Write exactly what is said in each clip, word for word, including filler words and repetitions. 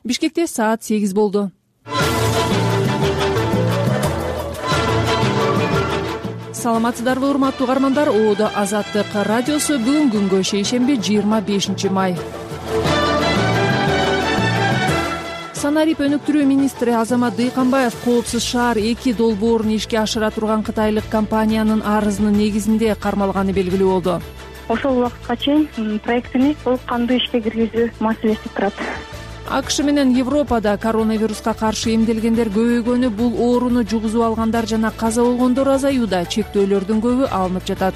Бишкекте саат сегиз болду. Саламатсыздарбы, урматтуу угармандар? Оодо Азаттык радиосу бүгүн күнгө шейшемби жыйырма бешинчи май. Санарип өнүктүрүү министри Азамат Дыйканбаев Коопсуз шаар эки долбоорун ишке ашыра турган кытайлык компаниянын арызынын негизинде кармалганы белгилүү болду. Ошол убакытка чейин проектини толук кандуу ишке киргизүү маселеси турат. АКШ менен Европада коронавируска каршы эмделгендер көбөйгөнү, бул ооруну жугузуп алгандар жана каза болгондор азаюуда, чектөөлөрдүн көбү алынып жатат.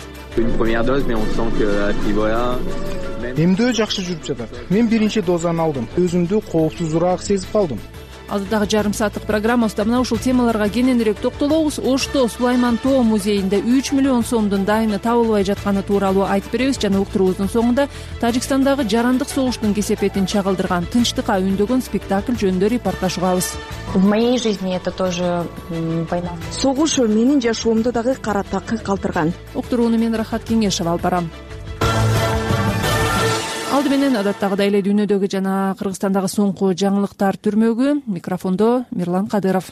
Эмдөө жакшы жүрүп жатат. Мен биринчи дозаны алдым. Өзүмдү коопсузураак сезип калдым. Алдыдагы жарым сааттык программабызда мына ушул темаларга кененирээк токтолобуз. Ошто Сулайман Тоо музейинде үч миллион сомдун дайыны табылбай жатканы тууралуу айтып беребиз жана уктуруубуздун соңунда Тажикстандагы жарандык согуштун кесепетин чагылдырган Тынчтыкка үндөгөн спектакль жөнүндө репортаж угабыз. В моей жизни это тоже война. Согуш менин жашоомду дагы кара такы калтырган. Уктурууну мен Рахат Кеңешова алып барам. Алды менен адаттагыдай эле дүйнөдөгү жана Кыргызстандагы соңку жаңылыктар түрмөгү. Микрофондо Мирлан Кадыров.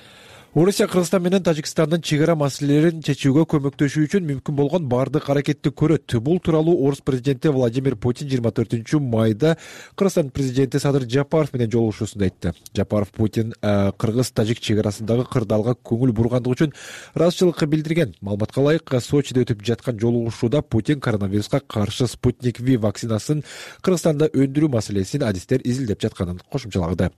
Орусия Кыргызстан менен Тажикстандын чек ара маселелерин чечүүгө көмөктөшүү үчүн мүмкүн болгон бардык аракетти көрөт. Бул тууралуу Орус президенти Владимир Путин жыйырма төртүнчү майда Кыргызстан президенти Садыр Жапаров менен жолугушуусунда айтты. Жапаров Путин кыргыз-тажик чек арасындагы кырдаалга көңүл бургандыгы үчүн ыраазычылык билдирген. Маалыматка ылайык, Сочиде өтүп жаткан жолугушууда Путин коронавируска каршы Спутник V вакцинасын Кыргызстанда өндүрүү маселесин адистер изилдеп жатканын кошумчалады.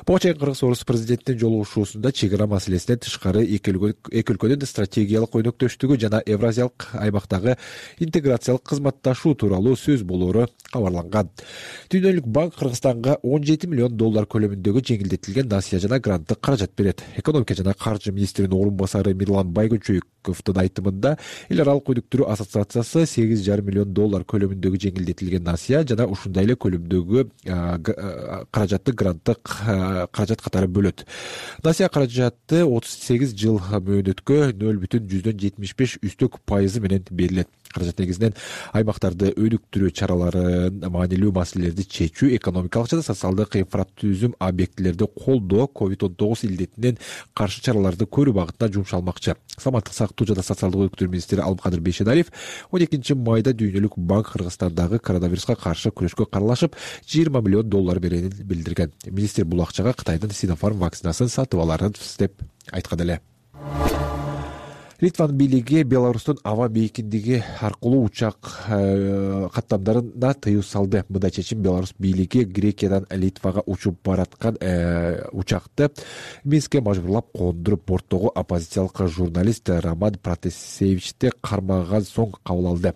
Буга чейин Кыргыз-Орус президентинин жолугушуусунда чек ара маселеси тышкары эки өлкөнүн стратегиялык өнөктөштүгү жана Евразиялык аймактагы интеграциялык кызматташуу тууралуу сөз болоору кабарланган. Дүйнөлүк банк Кыргызстанга он жети миллион доллар көлөмүндөгү жеңилдетилген насыя жана гранттык каражат берет. Экономика жана каржы министринин орун басары Мирлан Байгөнчөйковдун айтымында, эл аралык өнүктүрүү ассоциациясы сегиз жарым миллион доллар көлөмүндөгү жеңилдетилген насыя жана ушундай эле көлөмдөгү каражатты гранттык каражат катары бөлөт. Насыя каражаты отуз сегиз жыл мөөнөткө нөл бүтүн жүздөн жетимиш беш үстөк пайызы менен берилет. Каражат негизинен аймактарды өнүктүрүү чараларын, маанилүү маселелерди чечүү, экономикалык жана социалдык инфратүзүм объектилерди колдоо, ковид он тогуз илдетинен каршы чараларды көрүү багытына жумшалмакчы. Саламаттык сактоо жана социалдык өнүктүрүү министри Алымкадыр Бейшеналиев он экинчи майда Дүйнөлүк банк Кыргызстандагы коронавируска каршы күрөшкө кааралашып жыйырма миллион доллар беренин билдирген. Министр бул акчага Кытайдын Синофарм вакцинасын сатып аларын деп айткан эле. Литванын бийлиги Беларустун аба бейкиндиги аркылуу учак каттамдарына тыюу салды. Мындай чечим Беларус бийлиги Грекиядан Литвага учуп бараткан учакты Минскке мажбурлап кондуруп, борттогу оппозициялык журналист Роман Протасевичти кармаган соң кабыл алды.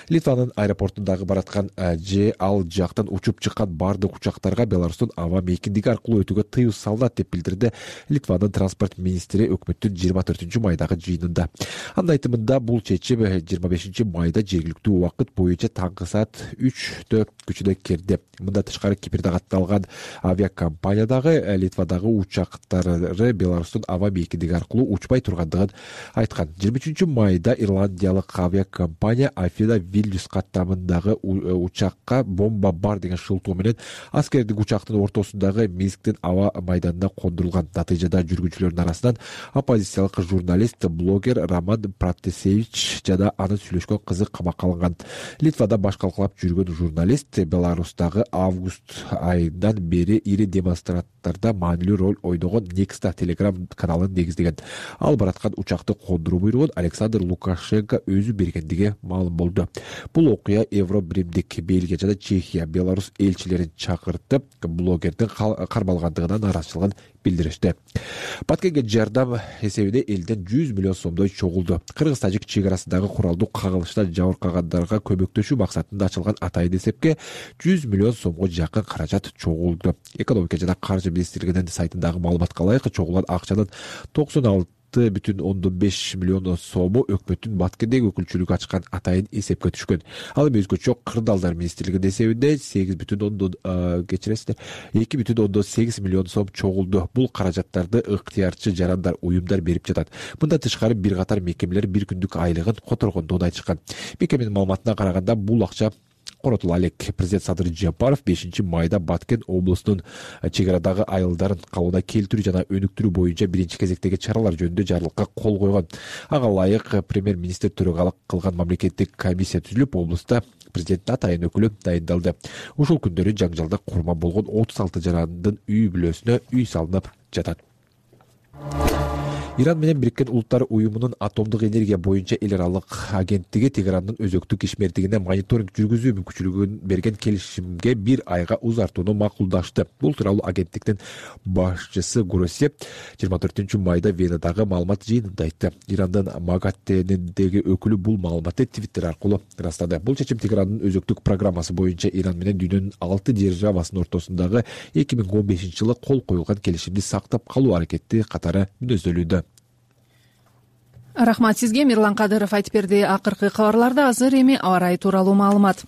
Литванын аэропортундагы бараткан же ал жактан учуп чыккан бардык учактарга Беларустун аба бейкиндиги аркылуу өтүүгө тыюу салынат деп билдирди Литванын транспорт министри өкмөттүн жыйырма төртүнчү майдагы жыйынында. Анын айтымында бул чечим жыйырма бешинчи майда жергиликтүү убакыт боюнча таңкы саат үчтө күчүнө кирди. Мындан тышкары Кипрде катталган авиакомпаниядагы Литвадагы учактары Беларустун аба бейкиндиги аркылуу учпай тургандыгын айткан. жыйырма үчүнчү майда ирландиялык авиакомпания Афина Вильнюс каттамындагы учакка бомба бар деген шылтоо менен аскердик учактын ортосундагы Минсктин аба майданына кондурулган. Натыйжада жүргүнчүлөрдүн арасынан оппозициялык журналист, блогер Роман Протасевич жана анын сүйлөшкөн кызы камакка алынган. Литвада баш калкалап жүргөн журналист Беларустагы август айынан бери ири демонстрацияларда маанилүү роль ойногон Некста телеграм каналын негиздеген. Ал бараткан учакты кондуруу буйругун Александр Лукашенко өзү бергендиги маалым болду. Бул окуя Евробримдик Бельгия жана Чехия Беларус элчилерин чакыртып, блогердин кармалгандыгына нааразычылыгын билдиришти. Баткенге жардам эсебинде элден жүз миллион сомдой чогулду. Кыргыз-тажик чек арасындагы куралдуу кагылышта жабыркагандарга көмөктөшүү максатында ачылган атайын эсепке жүз миллион сомго жакын каражат чогулду. Экономика жана каржы министрлигинин сайтындагы маалыматка ылайык, чогулган акчанын токсон алты бүтүн ондон беш миллион сому өкмөттүн Баткендеги өкүлчүлүгү ачкан атайын эсепке түшкөн. Ал эми өзгөчө кырдаалдар министрлигинин эсебинде сегиз бүтүн ондон кечиресиздер эки бүтүн ондон сегиз миллион сом чогулду. Бул каражаттарды ыктыярчы жарандар, уюмдар берип жатат. Мындан тышкары бир катар мекемелер бир күндүк айлыгын которгондугун айтышкан. Мекеменин маалыматына караганда бул акча коротула элек. Президент Садыр Жапаров бешинчи майда Баткен облусунун чек арадагы айылдарын калыбына келтирүү жана өнүктүрүү боюнча биринчи кезектеги чаралар жөнүндө жарлыкка кол койгон. Ага ылайык премьер-министр төрагалык кылган мамлекеттик комиссия түзүлүп, облуста президенттин атайын өкүлү дайындалды. Ушул күндөрү жаңжалда курма болгон отуз алты жарандын үй бүлөсүнө үй салынып жатат. Иран менен Бириккен Улуттар уюмунун атомдук энергия боюнча эл аралык агенттиги Тегерандын өзөктүк ишмердигине мониторинг жүргүзүү мүмкүнчүлүгүн берген келишимге бир айга узартууну макулдашты. Бул тууралуу агенттиктин башчысы Гуроси жыйырма төртүнчү майда Венадагы маалымат жыйынында айтты. Ирандын Магаттенидеги өкүлү бул маалыматты Твиттер аркылуу ырастады. Бул чечим Тегерандын өзөктүк программасы боюнча Иран менен дүйнөнүн алты державасынын ортосундагы эки миң он бешинчи жылы кол коюлган келишимди сактап калуу аракети катары мүнөздөлүүдө. Рахмат сизге. Мирлан Кадыров айтып берди. Акыркы кабарларда азыр эми аба ырайы тууралуу маалымат.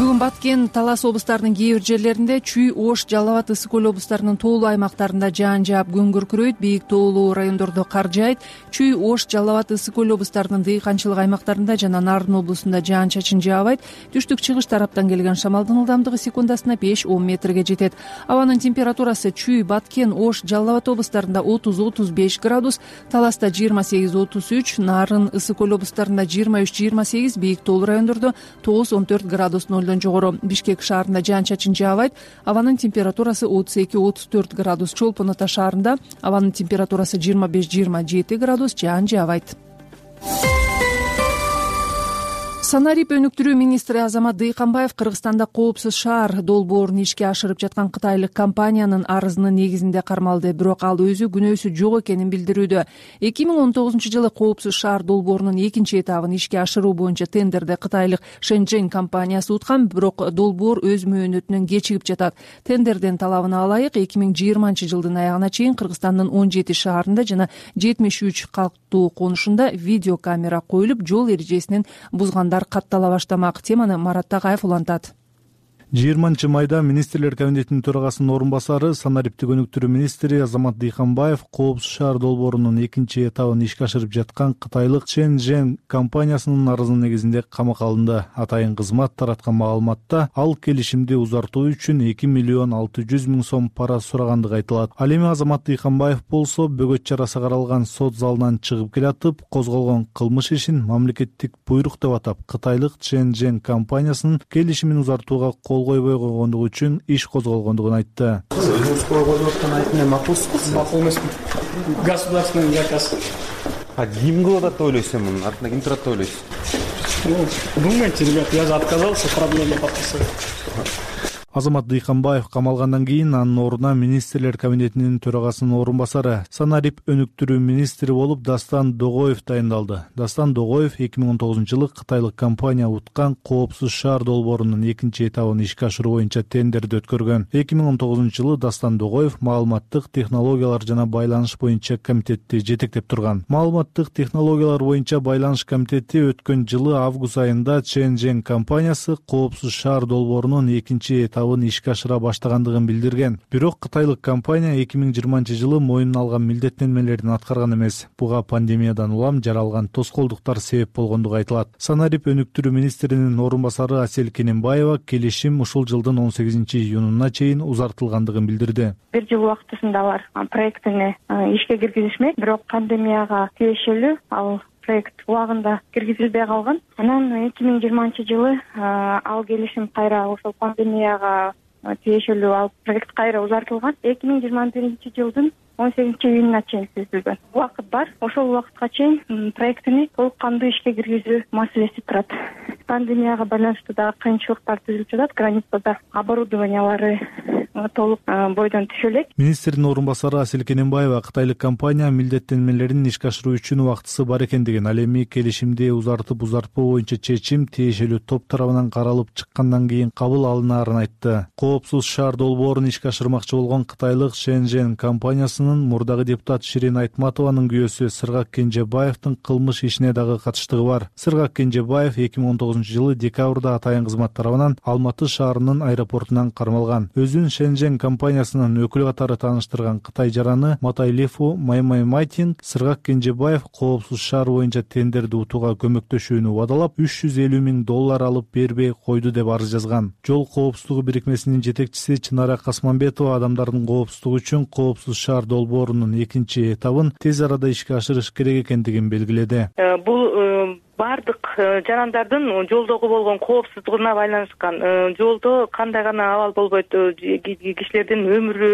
Бүгүн Баткен, Талас облустарынын кээ бир жерлеринде, Чүй, Ош, Жалал Абад, Ысык Көл облустарынын тоолуу аймактарында жаан жаап, күн күркүрөйт, бийик тоолуу райондордо кар жаайт. Чүй, Ош, Жалал Абад, Ысык Көл облустарынын дыйканчылык аймактарында жана Нарын облусунда жаан-чачын жаабайт. Түштүк-чыгыш тараптан келген шамалдын ылдамдыгы секундасына беш он метрге жетет. Абанын температурасы Чүй, Баткен, Ош, Жалал Абад облустарында отуз отуз беш градус, Таласта жыйырма сегиз отуз үч, Нарын, Ысык Көл облустарында жыйырма үч жыйырма сегиз, бийик тоолуу райондордо тогуз он төрт градус нолдон жогору. Бишкек шаарында жаан-чачын жаабайт. Абанын температурасы отуз эки отуз төрт градус. Чолпон Ата шаарында абанын температурасы жыйырма беш жыйырма жети градус, жаан жаабайт. Санарип өнүктүрүү министри Азамат Дыйканбаев Кыргызстанда коопсуз шаар долбоорун ишке ашырып жаткан кытайлык компаниянын арызынын негизинде кармалды. Бирок ал өзү күнөөсү жок экенин билдирүүдө. эки миң он тогузунчу жылы коопсуз шаар долбоорунун экинчи этабын ишке ашыруу боюнча тендерди кытайлык Шэньчжэнь компаниясы уткан, бирок долбоор өз мөөнөтүнөн кечигип жатат. Тендердин талабына ылайык эки миң жыйырманчы жылдын аягына чейин Кыргызстандын он жети шаарында жана жетимиш үч калктуу конушунда видеокамера коюлуп, жол эрежесин бузгандар каттала баштамак. Теманы Марат Тагаев улантат. жыйырманчы майда министрлер кабинетинин төрагасынын орун басары, санариптик өнүктүрүү министри Азамат Дыйканбаев коопсуз шаар долбоорунун экинчи этабын ишке ашырып жаткан кытайлык Шэньчжэнь компаниясынын арызынын негизинде камакка алынды. Атайын кызмат тараткан маалыматта ал келишимди узартуу үчүн эки миллион алты жүз миң сом пара сурагандыгы айтылат. Ал эми Азамат Дыйканбаев болсо бөгөт чарасы каралган сот залынан чыгып келатып, козголгон кылмыш ишин мамлекеттик буйрук деп атап, кытайлык Шэньчжэнь компаниясынын келишимин узартууга кол койбой койгондугу үчүн иш козголгондугун айтты. Өзүңүз кол коюп аткан айтымы макулсуз? Макул эмесмин. Государственный заказ. А ким кылып атат деп ойлойсуз эми? Мунун артында ким турат деп ойлойсуз? Думайте, ребят, я же отказался проблему подписывать. Азамат Дыйканбаев камалгандан кийин анын ордуна министрлер кабинетинин төрагасынын орун басары, санарип өнүктүрүү министри болуп Дастан Догоев дайындалды. Дастан Догоев эки миң он тогузунчу жылы кытайлык компания уткан коопсуз шаар долбоорунун экинчи этабын ишке ашыруу боюнча тендерди өткөргөн. эки миң он тогузунчу жылы Дастан Догоев маалыматтык технологиялар жана байланыш боюнча комитетти жетектеп турган. Маалыматтык технологиялар боюнча байланыш комитети өткөн жылы август айында Шэньчжэнь компаниясы коопсуз шаар долбоорунун экинчи этабын ишке ашыра баштагандыгын билдирген. Бирок кытайлык компания эки миң жыйырманчы жылы мойнуна алган милдеттенмелерин аткарган эмес. Буга пандемиядан улам жаралган тоскоолдуктар себеп болгондугу айтылат. Санарип өнүктүрүү министринин орун басары Асель Кененбаева келишим ушул жылдын он сегизинчи июнуна чейин узартылгандыгын билдирди. Бир жыл убактысында алар проектини ишке киргизишмек, бирок пандемияга тиешелүү ал проект убагында киргизилбей калган. Анан эки миң жыйырманчы жылы ал келишим кайра ошол пандемияга тиешелүү ал проект кайра узартылган. эки миң жыйырма биринчи жылдын он сегизинчи июнуна чейин түзүлгөн. Убакыт бар. Ошол убакытка чейин проектини толук кандуу ишке киргизүү маселеси турат. Пандемияга байланыштуу дагы кыйынчылыктар түзүлүп жатат. Границада оборудованиялары толук бойдон түшө элек. Министрдин орун басары Асель Кененбаева кытайлык компания милдеттенмелерин ишке ашыруу үчүн убактысы бар экендигин, ал эми келишимди узартып узартпоо боюнча чечим тиешелүү топ тарабынан каралып чыккандан кийин кабыл алынаарын айтты. Коопсуз шаар долбоорун ишке ашырмакчы болгон кытайлык Шэньчжэнь компаниясынын партиянын мурдагы депутат Ширин Айтматованын күйөөсү Сыргак Кенжебаевдин кылмыш ишине дагы катыштыгы бар. Сыргак Кенжебаев эки миң он тогузунчу жылы декабрда атайын кызмат тарабынан Алматы шаарынын аэропортунан кармалган. Өзүн Шенжен компаниясынын өкүлү катары тааныштырган Кытай жараны Матайлефу Маймаймайтин Сыргак Кенжебаев коопсуз шаар боюнча тендерди утууга көмөктөшүүнү убадалап үч жүз элүү миң доллар алып бербей койду деп арыз жазган. Жол коопсуздугу бирикмесинин жетекчиси Чынара Касманбетова адамдардын коопсуздугу үчүн коопсуз шаар долбоорунун экинчи этабын тез арада ишке ашырыш керек экендигин белгиледи. Бул бардык жарандардын жолдогу болгон коопсуздугуна байланышкан. Жолдо кандай гана абал болбойт, кишилердин өмүрү,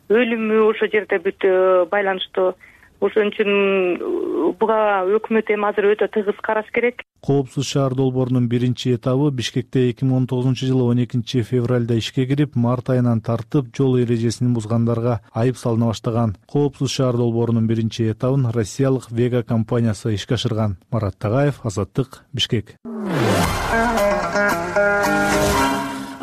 өлүмү ошол жерде бүт байланыштуу. Ошон үчүн буга өкмөт эми азыр өтө тыгыз караш керек. Коопсуз шаар долбоорунун биринчи этабы Бишкекте эки миң он тогузунчу жылы он экинчи февралда ишке кирип, март айынан тартып жол эрежесин бузгандарга айып салына баштаган. Коопсуз шаар долбоорунун биринчи этабын россиялык Вега компаниясы ишке ашырган. Марат Тагаев, Азаттык, Бишкек.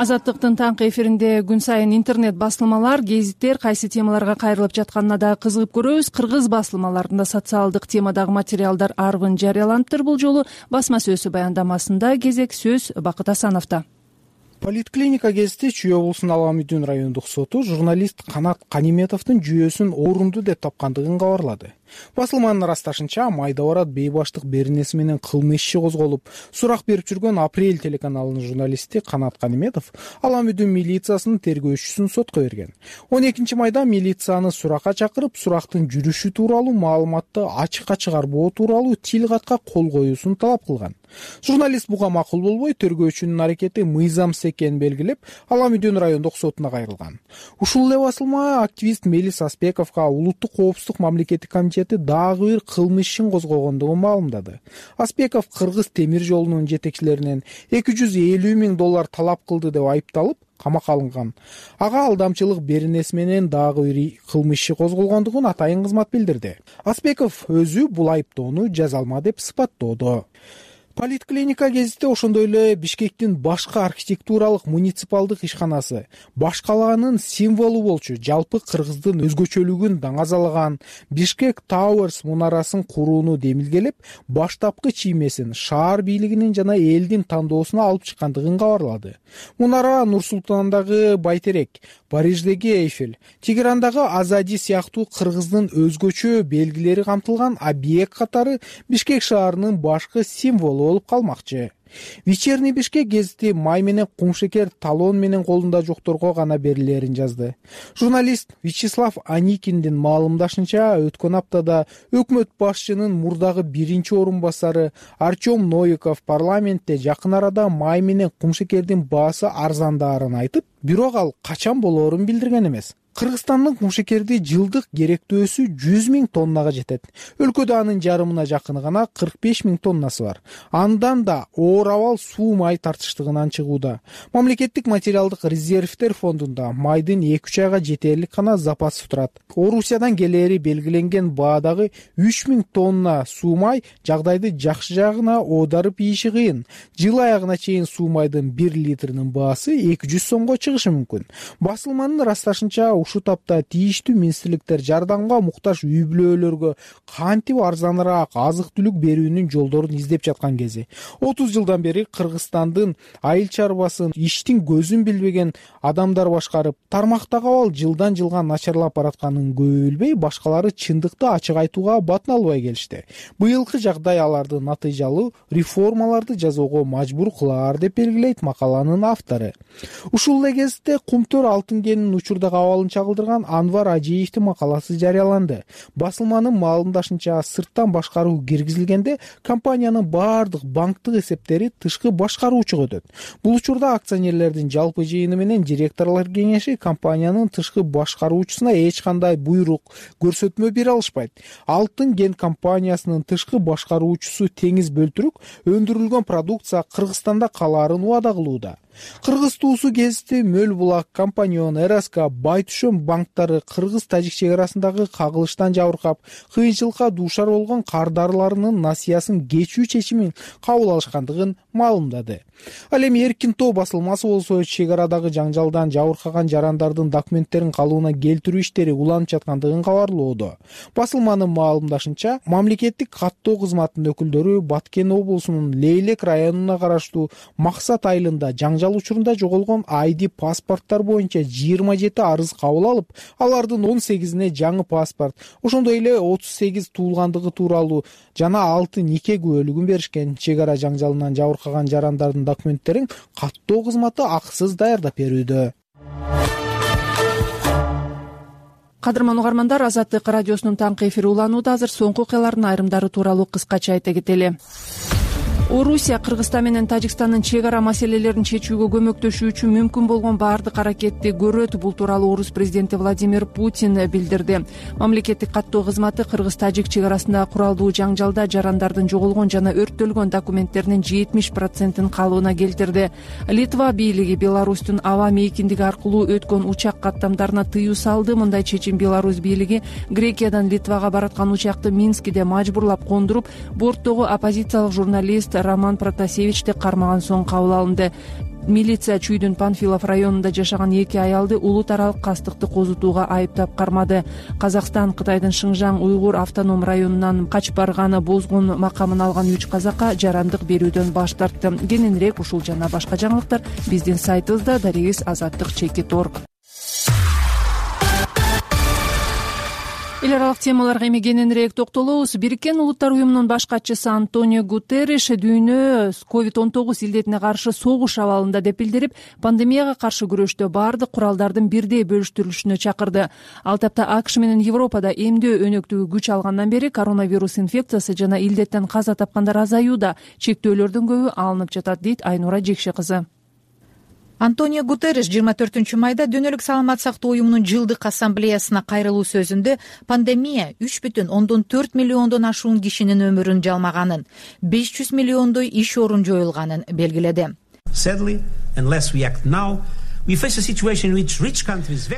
Азаттыктын таңкы эфиринде күн сайын интернет басылмалар, гезиттер кайсы темаларга кайрылып жатканына да кызыгып көрөбүз. Кыргыз басылмаларында социалдык темадагы материалдар арбын жарыяланыптыр. Бул жолу басма сөзү баяндамасында кезек сөз Бакыт Асановдо. Политклиника гезити Чүй облусунун Ала Мүдүн райондук соту журналист Канат Каниметовдун жүйөсүн орундуу деп тапкандыгын кабарлады. Басылманын ырасташынча, майда барат бейбаштык беренеси менен кылмыш иши козголуп, сурак берип жүргөн Апрель телеканалынын журналисти Канат Каниметов Ала Мүдүн милициясынын тергөөчүсүн сотко берген. он экинчи майда милицияны суракка чакырып, сурактын жүрүшү тууралуу маалыматты ачыкка чыгарбоо тууралуу тил катка кол коюусун талап кылган. Журналист буга макул болбой, тергөөчүнүн аракети мыйзамсыз экенин белгилеп, Ала Мүдүн райондук сотуна кайрылган. Ушул эле басылма активист Мелис Аспековго улуттук коопсуздук мамлекеттик комитети дагы бир кылмыш ишин козгогондугун маалымдады. Аспеков Кыргыз темир жолунун жетекчилеринен эки жүз элүү миң доллар талап кылды деп айыпталып камакка алынган. Ага алдамчылык беренеси менен дагы бир кылмыш иши козголгондугун атайын кызмат билдирди. Аспеков өзү бул айыптоону жаза алма деп сыпаттоодо. Политклиника гезити ошондой эле Бишкектин башка архитектуралык муниципалдык ишканасы, баш калаанын символу болчу жалпы кыргыздын өзгөчөлүгүн даңазалаган Бишкек Towers мунарасын курууну демилгелеп, баштапкы чиймесин шаар бийлигинин жана элдин тандоосуна алып чыккандыгын кабарлады. Мунара Нур-Султандагы Байтерек, Париждеги Эйфель, Тегерандагы Азади сыяктуу кыргыздын өзгөчө белгилери камтылган объект катары Бишкек шаарынын башкы символу болуп калмакчы. Вечерний Бишкек гезити май менен кумшекер талон менен колунда жокторго гана берилерин жазды. Журналист Вячеслав Аникиндин маалымдашынча, өткөн аптада өкмөт башчынын мурдагы биринчи орун басары Артем Новиков парламентте жакын арада май менен кумшекердин баасы арзандаарын айтып, бирок ал качан болоорун билдирген эмес. Кыргызстандын кумшекерди жылдык керектөөсү жүз миң тоннага жетет. Өлкөдө анын жарымына жакыны гана кырк беш миң тоннасы бар. Андан да оор абал суу май тартыштыгынан чыгууда. Мамлекеттик материалдык резервдер фондунда майдын эки үч айга жетерлик гана запасы турат. Орусиядан келери белгиленген баадагы үч миң тонна суу май жагдайды жакшы жагына оодарып ийиши кыйын. Жыл аягына чейин суу майдын бир литринин баасы эки жүз сомго чыгышы мүмкүн. Басылманын ырасташынча, ушу тапта тийиштүү министрликтер жардамга муктаж үй бүлөлөргө кантип арзаныраак азык-түлүк берүүнүн жолдорун издеп жаткан кези. отуз жылдан бери Кыргызстандын айыл чарбасын иштин көзүн билбеген адамдар башкарып, тармактагы абал жылдан жылга начарлап баратканын көбөлбөй, башкалары чындыкты ачык айтууга батын албай келишти. Быйылкы жагдай аларды натыйжалуу реформаларды жасоого мажбур кылаар деп белгилейт макаланын автору. Ушул эле кезде Кумтөр алтын кенинин учурдагы абалын чагылдырган Анвар Ажиевдин макаласы жарыяланды. Басылманын маалымдашынча, сырттан башкаруу киргизилгенде компаниянын баардык банктык эсептери тышкы башкаруучуга өтөт. Бул учурда акционерлердин жалпы жыйыны менен директорлор кеңеши компаниянын тышкы башкаруучусуна эч кандай буйрук, көрсөтмө бере алышпайт. Алтын кен компаниясынын тышкы башкаруучусу Теңиз Бөлтүрүк өндүрүлгөн продукция Кыргызстанда калаарын убада кылууда. Кыргыз туусу ГЭСти, Мөл булак, Компаньон, Эраска, Байтүшөм банктары кыргыз-тажик чек арасындагы кагылыштан жабыркап, кыйынчылыкка дуушар болгон кардарларынын насыясын кечүү чечимин кабыл алышкандыгын маалымдады. Ал эми Эркин тоо басылмасы болсо чек арадагы жаңжалдан жабыркаган жарандардын документтерин калыбына келтирүү иштери уланып жаткандыгын кабарлоодо. Басылманын маалымдашынча, мамлекеттик каттоо кызматынын өкүлдөрү Баткен облусунун Лейлек районуна караштуу Максат айылында жаңжал учурунда жоголгон ай ди паспорттор боюнча жыйырма жети арыз кабыл алып, алардын он сегизине жаңы паспорт, ошондой эле отуз сегиз туулгандыгы тууралуу жана алты нике күбөлүгүн беришкен. Чек ара жаңжалынан жабыркаган жарандардын документтерин каттоо кызматы акысыз даярдап берүүдө. Кадырман угармандар, Азаттык радиосунун таңкы эфири уланууда. Азыр соңку окуялардын айрымдары тууралуу кыскача айта кетели. Орусия Кыргызстан менен Тажикстандын чек ара маселелерин чечүүгө көмөктөшүү үчүн мүмкүн болгон баардык аракетти көрөт. Бул тууралуу Орус президенти Владимир Путин билдирди. Мамлекеттик каттоо кызматы Кыргыз-Тажик чек арасындагы куралдуу жаңжалда жарандардын жоголгон жана өрттөлгөн документтеринин жетимиш процентин калыбына келтирди. Литва бийлиги Беларустун аба мейкиндиги аркылуу өткөн учак каттамдарына тыюу салды. Мындай чечим Беларусь бийлиги Грекиядан Литвага бараткан учакты Минскиде мажбурлап кондуруп, борттогу оппозициялык журналист Роман Протасевичти кармаган соң кабыл алынды. Милиция Чүйдүн Панфилов районунда жашаган эки аялды улут аралык кастыкты козутууга айыптап кармады. Казакстан Кытайдын Шыңжаң уйгур автоном районунан качып барганы бозгун макамын алган үч казакка жарандык берүүдөн баш тартты. Кененирээк ушул жана башка жаңылыктар биздин сайтыбызда дарегиз азаттык чекит орг. Эл аралык темаларга эми кененирээк токтолобуз. Бириккен Улуттар уюмунун баш катчысы Антонио Гутерриш дүйнө ковид он тогуз илдетине каршы согуш абалында деп билдирип, пандемияга каршы күрөштө баардык куралдардын бирдей бөлүштүрүлүшүнө чакырды. Ал тапта АКШ менен Европада эмдөө өнөктүгү күч алгандан бери коронавирус инфекциясы жана илдеттен каза тапкандар азаюуда, чектөөлөрдүн көбү алынып жатат, дейт Айнура Жекше кызы. Антонио Гутерриш жыйырма төртүнчү майда Дүйнөлүк саламат сактоо уюмунун жылдык ассамблеясына кайрылуу сөзүндө пандемия үч бүтүн ондон төрт миллиондон ашуун кишинин өмүрүн жалмаганын, беш жүз миллиондой иш орун жоюлганын белгиледи.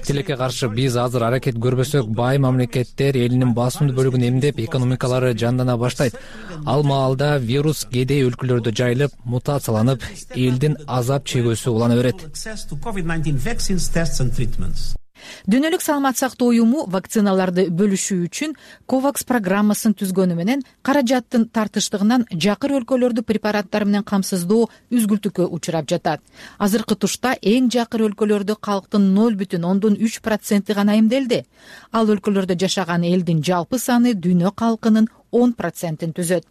Тилекке каршы биз азыр аракет көрбөсөк, бай мамлекеттер элинин басымдуу бөлүгүн эмдеп, экономикалары жандана баштайт. Ал маалда вирус кедей өлкөлөрдө жайылып, мутацияланып, элдин азап чегүүсү улана берет. Дүйнөлүк саламат сактоо уюму вакциналарды бөлүшүү үчүн ковакс программасын түзгөнү менен каражаттын тартыштыгынан жакыр өлкөлөрдү препараттар менен камсыздоо үзгүлтүккө учурап жатат. Азыркы тушта эң жакыр өлкөлөрдө калктын ноль бүтүн ондон үч проценти гана эмделди. Ал өлкөлөрдө жашаган элдин жалпы саны дүйнө калкынын он процентин түзөт.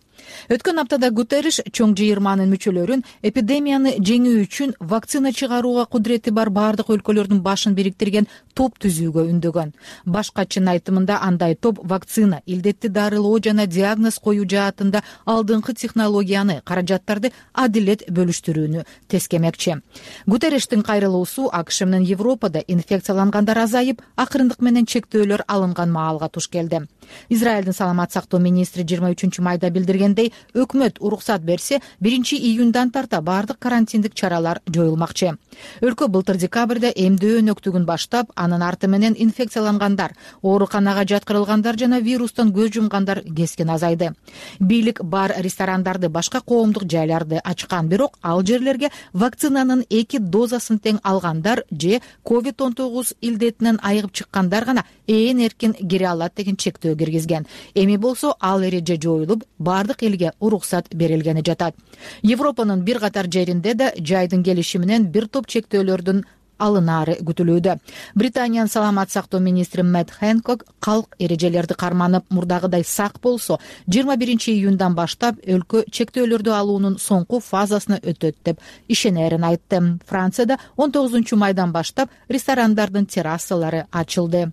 Өткөн аптада Гутерриш чоң жыйырманын мүчөлөрүн эпидемияны жеңүү үчүн вакцина чыгарууга кудурети бар баардык өлкөлөрдүн башын бириктирген топ түзүүгө үндөгөн. Баш катчынын айтымында андай топ вакцина, илдетти дарылоо жана диагноз коюу жаатында алдыңкы технологияны, каражаттарды адилет бөлүштүрүүнү тескемекчи. Гутерриштин кайрылуусу АКШ менен Европада инфекциялангандар азайып, акырындык менен чектөөлөр алынган маалга туш келди. Израилдин саламат сактоо министри жыйырма үчүнчү майда билдиргендей, өкмөт уруксат берсе, биринчи июндан тарта баардык карантиндик чаралар жоюлмакчы. Өлкө былтыр декабрда эмдөө өнөктүгүн баштап, анын арты менен инфекциялангандар, ооруканага жаткырылгандар жана вирустан көз жумгандар кескин азайды. Бийлик бар ресторандарды, башка коомдук жайларды ачкан, бирок ал жерлерге вакцинанын эки дозасын тең алгандар же ковид он тогуз илдетинен айыгып чыккандар гана ээн эркин кире алат деген чектөө киргизген. Эми болсо ал эреже жоюлуп, баардык элге уруксат берилгени жатат. Европанын бир катар жеринде да жайдын келиши менен бир топ чектөөлөрдүн алынаары күтүлүүдө. Британиянын саламат сактоо министри Мэтт Хэнкок калк эрежелерди карманып, мурдагыдай сак болсо, жыйырма биринчи июндан баштап өлкө чектөөлөрдү алуунун соңку фазасына өтөт деп ишенерин айтты. Францияда он тогузунчу майдан баштап ресторандардын террасалары ачылды.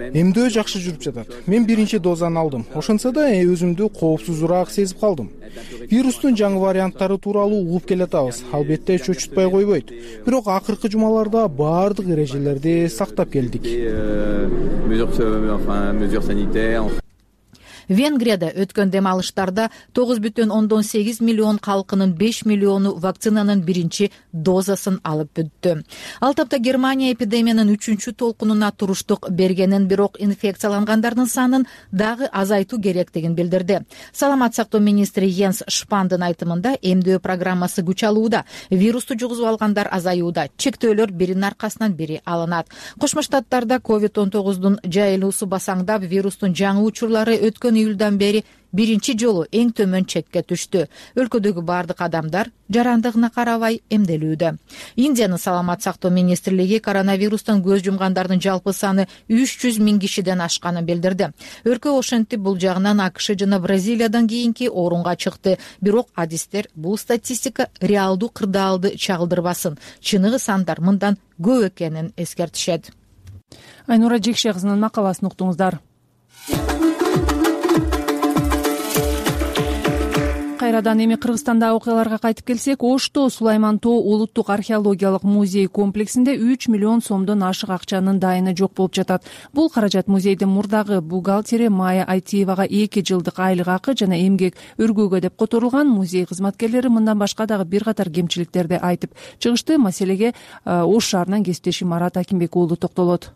Эмдөө жакшы жүрүп жатат. Мен биринчи дозаны алдым. Ошонсо да өзүмдү коопсузураак сезип калдым. Вирустун жаңы варианттары тууралуу угуп келатабыз. Албетте чөчүтпөй койбойт. Бирок акыркы жумаларда баардык эрежелерди сактап келдик. Венгрияда өткөн дем алыштарда тогуз бүтүн ондон сегиз миллион калкынын беш миллиону вакцинанын биринчи дозасын алып бүттү. Ал тапта Германия эпидемиянын үчүнчү толкунуна туруштук бергенин, бирок инфекциялангандардын санын дагы азайтуу керектигин билдирди. Саламат сактоо министри Йенс Шпандын айтымында эмдөө программасы күч алууда, вирусту жугузуп алгандар азаюуда, чектөөлөр биринин аркасынан бири алынат. Кошмо Штаттарда ковид он тогуздун жайылуусу басаңдап, вирустун жаңы учурлары өткөн июлдан бери биринчи жолу эң төмөн чекке түштү. Өлкөдөгү бардык адамдар жарандыгына карабай эмделүүдө. Индиянын саламат сактоо министрлиги коронавирустан көз жумгандардын жалпы саны үч жүз миң кишиден ашканын билдирди. Өлкө ошентип бул жагынан АКШ жана Бразилиядан кийинки орунга чыкты. Бирок адистер бул статистика реалдуу кырдаалды чагылдырбасын. Чыныгы сандар мындан көп экенин эскертишет. Айнура Жекше кызынын макаласын уктуңуздар. Кайрадан эми Кыргызстандагы окуяларга кайтып келсек, Ошто Сулайман Тоо улуттук археологиялык музей комплексинде үч миллион сомдон ашык акчанын дайыны жок болуп жатат. Бул каражат музейдин мурдагы бухгалтери Майя Айтиевага эки жылдык айлык акы жана эмгек өргөөгө деп которулган. Музей кызматкерлери мындан башка дагы бир катар кемчиликтерди айтып чыгышты. Маселеге Ош шаарынан кесиптешим Марат Акимбек уулу токтолот.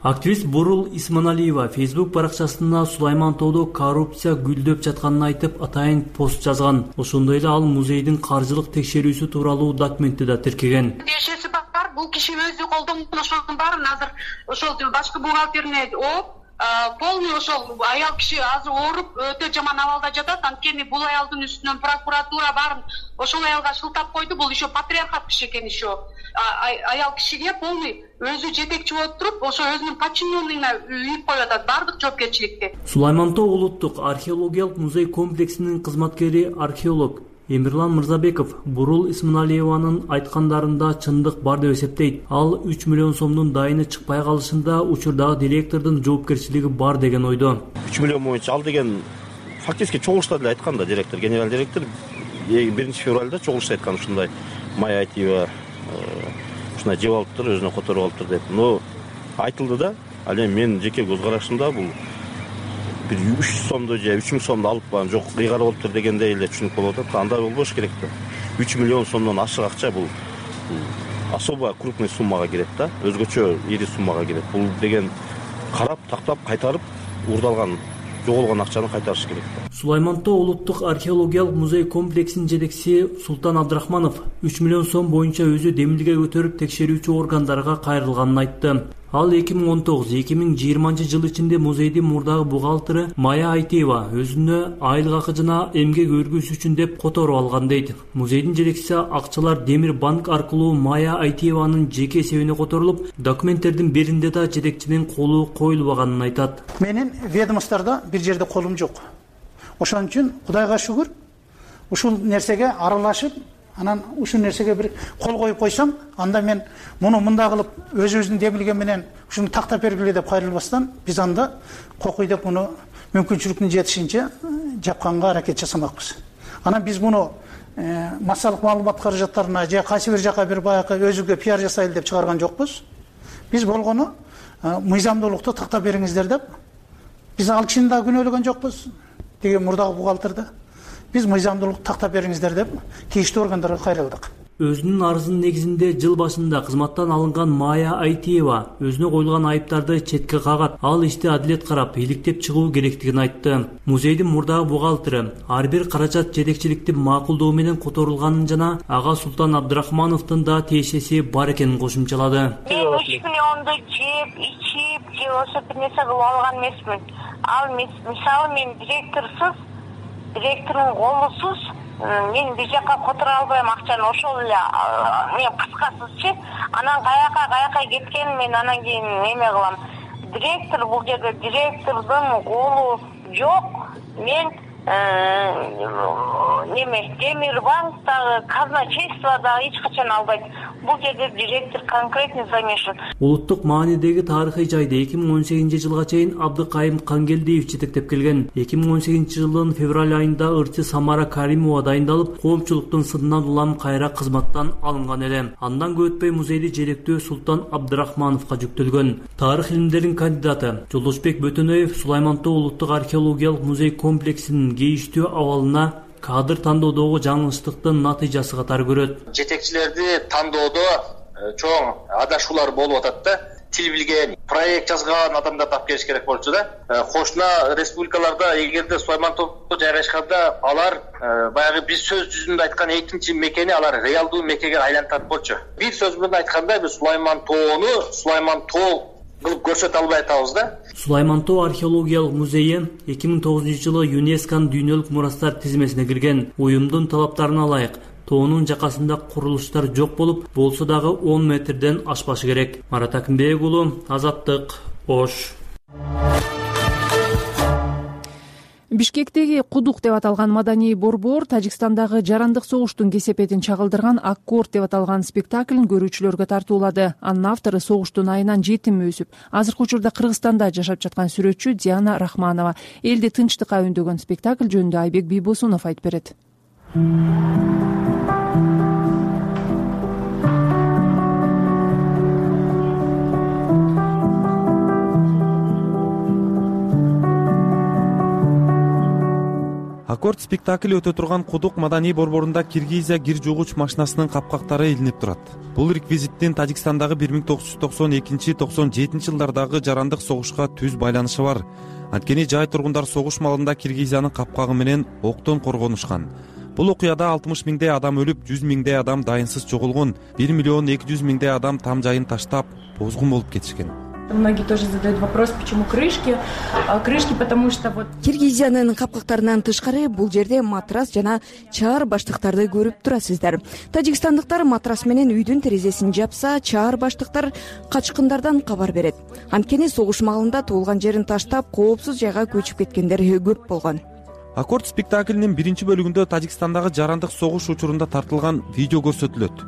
Активист Бурул Исманалиева Facebook баракчасында Сулайман Тоодо коррупция гүлдөп жатканын айтып, атайын пост жазган. Ошондой эле ал музейдин каржылык текшерүүсү тууралуу документти да тиркеген. Тиешеси бар, бул киши өзү колдонгон ошонун баарын азыр ошол башкы бухгалтерине ооп, полный ошол аял киши азыр ооруп өтө жаман абалда жатат. Анткени бул аялдын үстүнөн прокуратура баарын ошол аялга шылтап койду. Бул еще патриархат киши экен, еще аял кишиге полный өзү жетекчи болуп туруп, ошо өзүнүн подчиненныйына үйүп коюп атат баардык жоопкерчиликти. Сулайман Тоо улуттук археологиялык музей комплексинин кызматкери археолог Эмирлан Мырзабеков Бурул Исманалиеванын айткандарында чындык бар деп эсептейт. Ал үч миллион сомдун дайыны чыкпай калышында учурдагы директордун жоопкерчилиги бар деген ойдо. үч миллион боюнча ал деген фактически чогулушта деле айткан да директор, генерал директор биринчи февралда чогулушта айткан ушундай Майя Айтиева ушундай жеп алыптыр, өзүнө которуп алыптыр деп. Но айтылды да, ал эми менин жеке көз карашымда бул бир үч жүз сомду же үч миң сомду алып барып жок кыйгар болуптур дегендей эле түшүнүп болуп атат. Андай болбош керек да. үч миллион сомдон ашык акча бул особо крупный суммага кирет да, өзгөчө ири суммага кирет. Бул деген карап, тактап, кайтарып урдалган, жоголгон акчаны кайтарыш керек. Сулайман Тоо улуттук археологиялык музей комплексинин жетекчиси Султан Абдрахманов үч миллион сом боюнча өзү демилге көтөрүп текшерүүчү органдарга кайрылганын айтты. Ал эки миң он тогуз — эки миң жыйырманчы жыл ичинде музейдин мурдагы бухгалтери Майя Айтиева өзүнө айлык акы жана эмгек өргүүсү үчүн деп которуп алган дейт. Музейдин жетекчиси акчалар Демир банк аркылуу Майя Айтиеванын жеке эсебине которулуп, документтердин биринде да жетекчинин колу коюлбаганын айтат. Менин ведомстводо бир жерде колум жок. Ошон үчүн Кудайга шүгүр, ушул нерсеге аралашып, анан ушул нерсеге бир кол коюп койсом, анда мен муну мындай кылып өзүбүздүн демилген менен ушуну тактап бергиле деп кайрылбастан, биз анда кокуй деп муну мүмкүнчүлүктүн жетишинче жапканга аракет жасамакпыз. Анан биз муну массалык маалымат каражаттарына же кайсы бир жака бир баягы өзүгө пиар жасайлы деп чыгарган жокпуз. Биз болгону мыйзамдуулукту тактап бериңиздер деп. Биз ал кишини да күнөөлөгөн жокпуз. Деген мурдагы бухгалтерде биз мыйзамдуулукту тактап бериңиздер деп тийиштүү органдарга кайрылдык. Өзүнүн арызынын негизинде жыл башында кызматтан алынган Майя Айтиева өзүнө коюлган айыптарды четке кагат. Ал ишти адилет карап, иликтеп чыгуу керектигин айтты. Музейдин мурдагы бухгалтери ар бир каражат жетекчиликтин макулдугу менен которулганын жана ага Султан Абдрахмановдун да тиешеси бар экенин кошумчалады. Мен үч миллионду жеп, ичип, же ошо бир нерсе кылып алган эмесмин. Ал мисалы мен директорсуз, директордун колусуз мен бир жака которо албайм акчаны, ошол эле мен кыскасызчы. Анан каяка каяка кеткен мен анан кийин эме кылам. Директор бул жерде директордун колу жок. Мен неме темир банктагы казначействодагы эч качан албайт. Бул жерде директор конкретно замешан. Улуттук маанидеги тарыхый жайды эки миң он сегизинчи жылга чейин Абдыкайым Кангелдиев жетектеп келген. эки миң он сегизинчи жылдын февраль айында ырчы Самара Каримова дайындалып, коомчулуктун сынынан улам кайра кызматтан алынган эле. Андан көп өтпөй музейди желектөө Султан Абдрахмановго жүктөлгөн. Тарых илимдеринин кандидаты Жолдошбек Бөтөнөев Сулайман Тоо улуттук археологиялык музей комплексинин кейиштүү абалына кадр тандоодогу жаңылыштыктын натыйжасы катары көрөт. Жетекчилерди тандоодо чоң адашуулар болуп атат да. Тил билген, проект жазган адамдар тап келиш керек болчу да. Кошуна республикаларда эгерде Сулайман Тоого жайгашканда алар баягы биз сөз жүзүндө айткан экинчи мекени алар реалдуу мекенге айлантат болчу. Бир сөз менен айтканда биз Сулайман Тоону Сулайман Тоо кылып көрсөтө албай атабыз да. Сулайман Тоо археологиялык музейи эки миң тогузунчу жылы ЮНЕСКОнун дүйнөлүк мурастар тизмесине кирген. Уюмдун талаптарына ылайык тоонун жакасында курулуштар жок болуп, болсо дагы он метрден ашпашы керек. Марат Акимбек уулу, Азаттык, Ош. Бишкектеги Кудук деп аталган маданий борбор Тажикстандагы жарандык согуштун кесепетин чагылдырган Аккорд деп аталган спектаклин көрүүчүлөргө тартуулады. Анын автору согуштун айынан жетим өсүп, азыркы учурда Кыргызстанда жашап жаткан сүрөтчү Диана Рахманова. Элди тынчтыкка үндөгөн спектакль жөнүндө Айбек Бийбосунов айтып берет. Аккорд спектакли өтө турган Кудук маданий борборунда Киргизия кир жуугуч машинасынын капкактары илинип турат. Бул реквизиттин Тажикстандагы бир миң тогуз жүз токсон экинчи токсон жетинчи жылдардагы жарандык согушка түз байланышы бар. Анткени жай тургундар согуш малында Киргизиянын капкагы менен октон коргонушкан. Бул окуяда алтымыш миңдей адам өлүп, жүз миңдей адам дайынсыз жоголгон, бир миллион эки жүз миңдей адам там жайын таштап, бозгун болуп кетишкен. Многие тоже задают вопрос, почему крышки. Крышки, потому что вот... Киргизиянын капкактарынан тышкары бул жерде матрас жана чаар баштыктарды көрүп турасыздар. Тажикстандыктар матрас менен үйдүн терезесин жапса, чаар баштыктар качкындардан кабар берет. Анткени согуш маалында туулган жерин таштап, коопсуз жайга көчүп кеткендер көп болгон. Аккорд спектаклинин биринчи бөлүгүндө Тажикстандагы жарандык согуш учурунда тартылган видео көрсөтүлөт.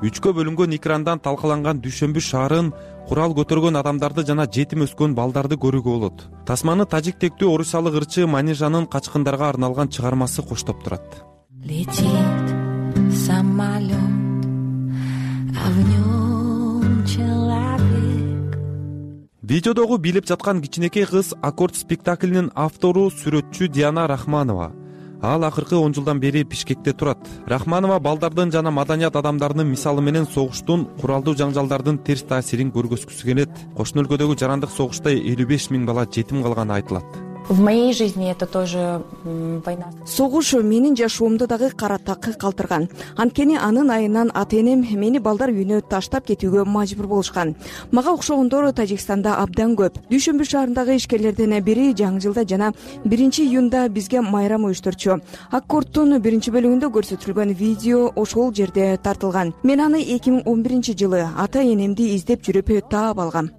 Үчкө бөлүнгөн экрандан талкаланган Дүйшөмбү шаарын, курал көтөргөн адамдарды жана жетим өскөн балдарды көрүүгө болот. Тасманы тажик тектүү орусиялык ырчы Манижанын качкындарга арналган чыгармасы коштоп турат. Летит самолет, а в нем человек. Видеодогу билип жаткан кичинекей кыз Аккорд спектаклинин автору сүрөтчү Диана Рахманова. Ал акыркы он жылдан бери Бишкекте турат. Рахманова балдардын жана маданият адамдарынын мисалы менен согуштун, куралдуу жаңжалдардын терс таасирин көргөзгүсү келет. Кошуна өлкөдөгү жарандык согушта элүү беш миң бала жетим калганы айтылат. В моей жизни это тоже война. Согуш менин жашоомду дагы кара так калтырган. Анткени анын айынан ата-энем мени балдар үйүнө таштап кетүүгө мажбур болушкан. Мага окшогондор Тажикстанда абдан көп. Дүйшөмбү шаарындагы ишкерлерден бири жаңы жылда жана биринчи июнда бизге майрам уюштурчу. Аккордтун биринчи бөлүгүндө көрсөтүлгөн видео ошол жерде тартылган. Мен аны эки миң он биринчи жылы ата-энемди издеп жүрүп таап алгам.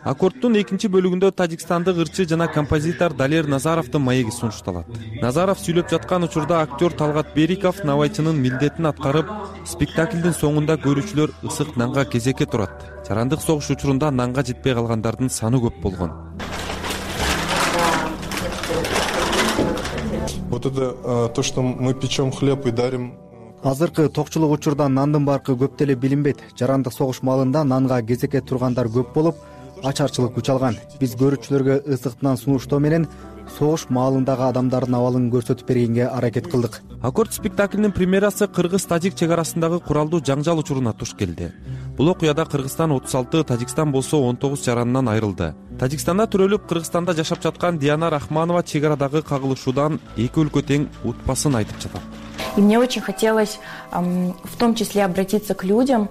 Аккордтун экинчи бөлүгүндө тажикстандык ырчы жана композитор Далер Назаровдун маеги сунушталат. Назаров сүйлөп жаткан учурда актер Талгат Бериков навайчынын милдетин аткарып, спектаклдин соңунда көрүүчүлөр ысык нанга кезекке турат. Жарандык согуш учурунда нанга жетпей калгандардын саны көп болгон. Вот это то, что мы печем хлеб и дарим. Азыркы токчулук учурда нандын баркы көп деле билинбейт. Жарандык согуш маалында нанга кезекке тургандар көп болуп, ачарчылык күч алган. Биз көрүүчүлөргө ысыктан сунуштоо менен согуш маалындагы адамдардын абалын көрсөтүп бергенге аракет кылдык. Аккорд спектаклинин премьерасы кыргыз-тажик чек арасындагы куралдуу жаңжал учуруна туш келди. Бул окуяда Кыргызстан отуз алты, Тажикстан болсо он тогуз жаранынан айрылды. Тажикстанда төрөлүп, Кыргызстанда жашап жаткан Диана Рахманова чек арадагы кагылышуудан эки өлкө тең утпасын айтып жатат. И мне очень хотелось в том числе обратиться к людям,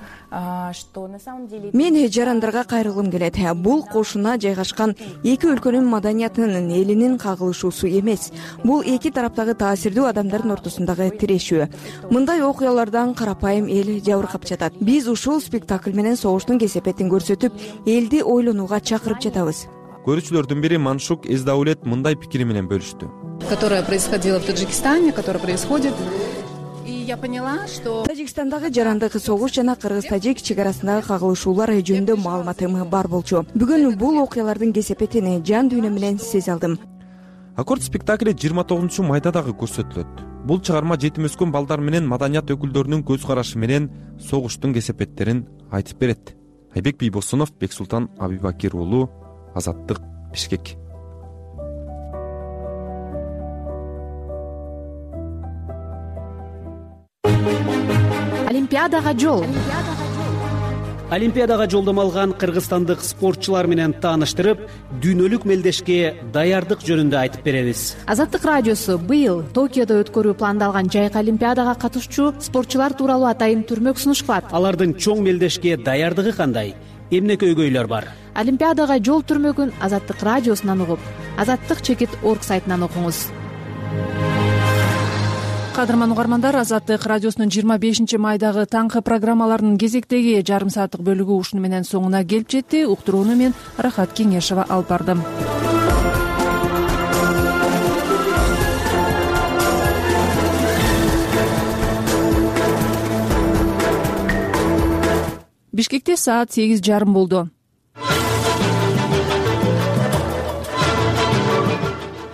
что на самом деле... Мен жарандарга кайрылгым келет. Бул кошуна жайгашкан эки өлкөнүн маданиятынын, элинин кагылышуусу эмес. Бул эки тараптагы таасирдүү адамдардын ортосундагы тирешүү. Мындай окуялардан карапайым эл жабыркап жатат. Биз ушул спектакль менен согуштун кесепетин көрсөтүп, элди ойлонууга чакырып жатабыз. Көрүүчүлөрдүн бири Маншук Эздаулет мындай пикири менен бөлүштү. которое происходило в Таджикистане, которое происходит. И я поняла, что Тажикстандагы жарандык согуш жана кыргыз-тажик чек арасындагы кагылышуулар жөнүндө маалыматым бар болчу. Бүгүн бул окуялардын кесепетин жан дүйнөм менен сезе алдым. Аккорд спектакли жыйырма тогузунчу майда дагы көрсөтүлөт. Бул чыгарма жетим өскөн балдар менен маданият өкүлдөрүнүн көз карашы менен согуштун кесепеттерин айтып берет. Айбек Бийбосунов, Бексултан Абибакир уулу, Азаттык, Бишкек. Олимпиадага жол. Олимпиадага жолдомо алган кыргызстандык спортчулар менен тааныштырып, дүйнөлүк мелдешке даярдык жөнүндө айтып беребиз. Азаттык радиосу быйыл Токиодо өткөрүү пландалган жайкы Олимпиадага катышчу спортчулар тууралуу атайын түрмөк сунушпат. Алардын чоң мелдешке даярдыгы кандай? Эмне көйгөйлөр бар? Олимпиадага жол түрмөгүн Азаттык радиосунан угуп, азаттык чекит орг сайтынан окуңуз. Кадырман угармандар, Азаттык радиосунун жыйырма бешинчи майдагы таңкы программаларынын кезектеги жарым сааттык бөлүгү ушуну менен соңуна келип жетти. Уктурууну мен Рахат Кеңешова алып бардым. Бишкекте саат сегиз жарым болду.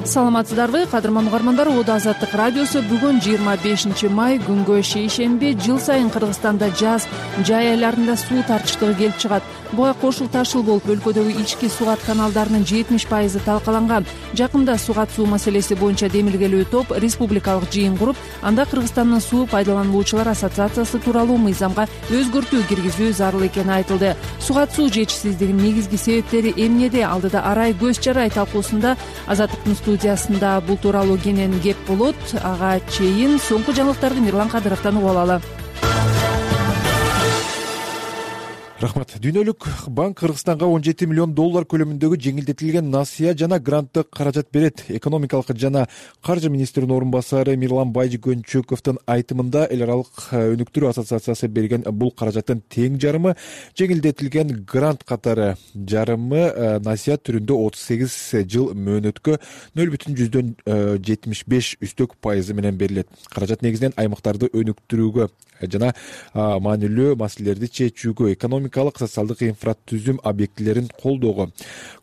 Саламатсыздарбы, кадырман угармандар, Оодо Азаттык радиосу бүгүн жыйырма бешинчи май күнгө шейшемби. Жыл сайын Кыргызстанда жаз жай айларында суу тартыштыгы келип чыгат. Буга кошул ташыл болуп, өлкөдөгү ички суугат каналдарынын жетимиш пайызы талкаланган. Жакында суугат суу маселеси боюнча демилгелүү топ республикалык жыйын куруп, анда Кыргызстандын суу пайдалануучулар ассоциациясы тууралуу мыйзамга өзгөртүү киргизүү зарыл экени айтылды. Суугат суу жетишсиздигинин негизги себептери эмнеде? Алдыда арай көз жарай талкуусунда Азаттыктын студиясында бул тууралуу кенен кеп болот. Ага чейин соңку жаңылыктарды Мирлан Кадыровдон угуп алалы. Рахмат. Дүйнөлүк банк Кыргызстанга он жети миллион доллар көлөмүндөгү жеңилдетилген насыя жана гранттык каражат берет. Экономикалык жана каржы министринин орун басары Мирлан Байжигөнчөковдун айтымында эл аралык өнүктүрүү ассоциациясы берген бул каражаттын тең жарымы жеңилдетилген грант катары, жарымы насыя түрүндө отуз сегиз жыл мөөнөткө нөл бүтүн жүздөн жетимиш беш үстөк пайызы менен берилет. Каражат негизинен аймактарды өнүктүрүүгө жана маанилүү маселелерди чечүүгө, экономикалык, социалдык инфратүзүм объектилерин колдоого,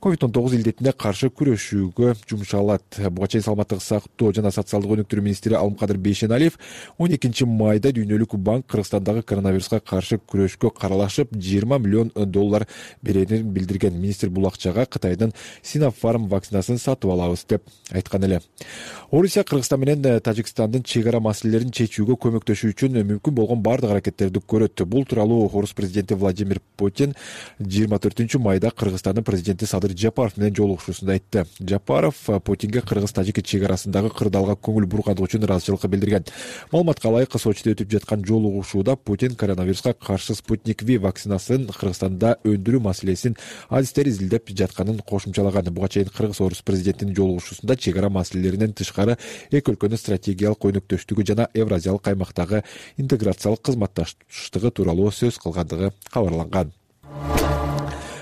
ковид он тогуз илдетине каршы күрөшүүгө жумшалат. Буга чейин саламаттык сактоо жана социалдык өнүктүрүү министри Алымкадыр Бейшеналиев он экинчи майда Дүйнөлүк банк Кыргызстандагы коронавируска каршы күрөшкө каралашып жыйырма миллион доллар берерин билдирген. Министр бул акчага Кытайдын Синофарм вакцинасын сатып алабыз деп айткан эле. Орусия Кыргызстан менен Тажикстандын чек ара маселелерин чечүүгө көмөктөшүү үчүн мүмкүн болгон бардык аракеттерди көрөт. Бул тууралуу Орус президенти Владимир Путин жыйырма төртүнчү майда Кыргызстандын президенти Садыр Жапаров менен жолугушуусунда айтты. Жапаров Путинге Кыргыз-Тажик чек арасындагы кырдаалга көңүл бургандыгы үчүн ыраазычылык билдирген. Маалыматка ылайык, Сочиде өтүп жаткан жолугушууда Путин коронавируска каршы Спутник V вакцинасын Кыргызстанда өндүрүү маселесин адистер изилдеп жатканын кошумчалаган. Буга чейин Кыргыз-Орус президентинин жолугушуусунда чек ара маселелеринен тышкары эки өлкөнүн стратегиялык өнүктөштүгү жана Евразиялык аймактагы интеграциялык кызматташтыгы тууралуу сөз кылгандыгы кабарланган.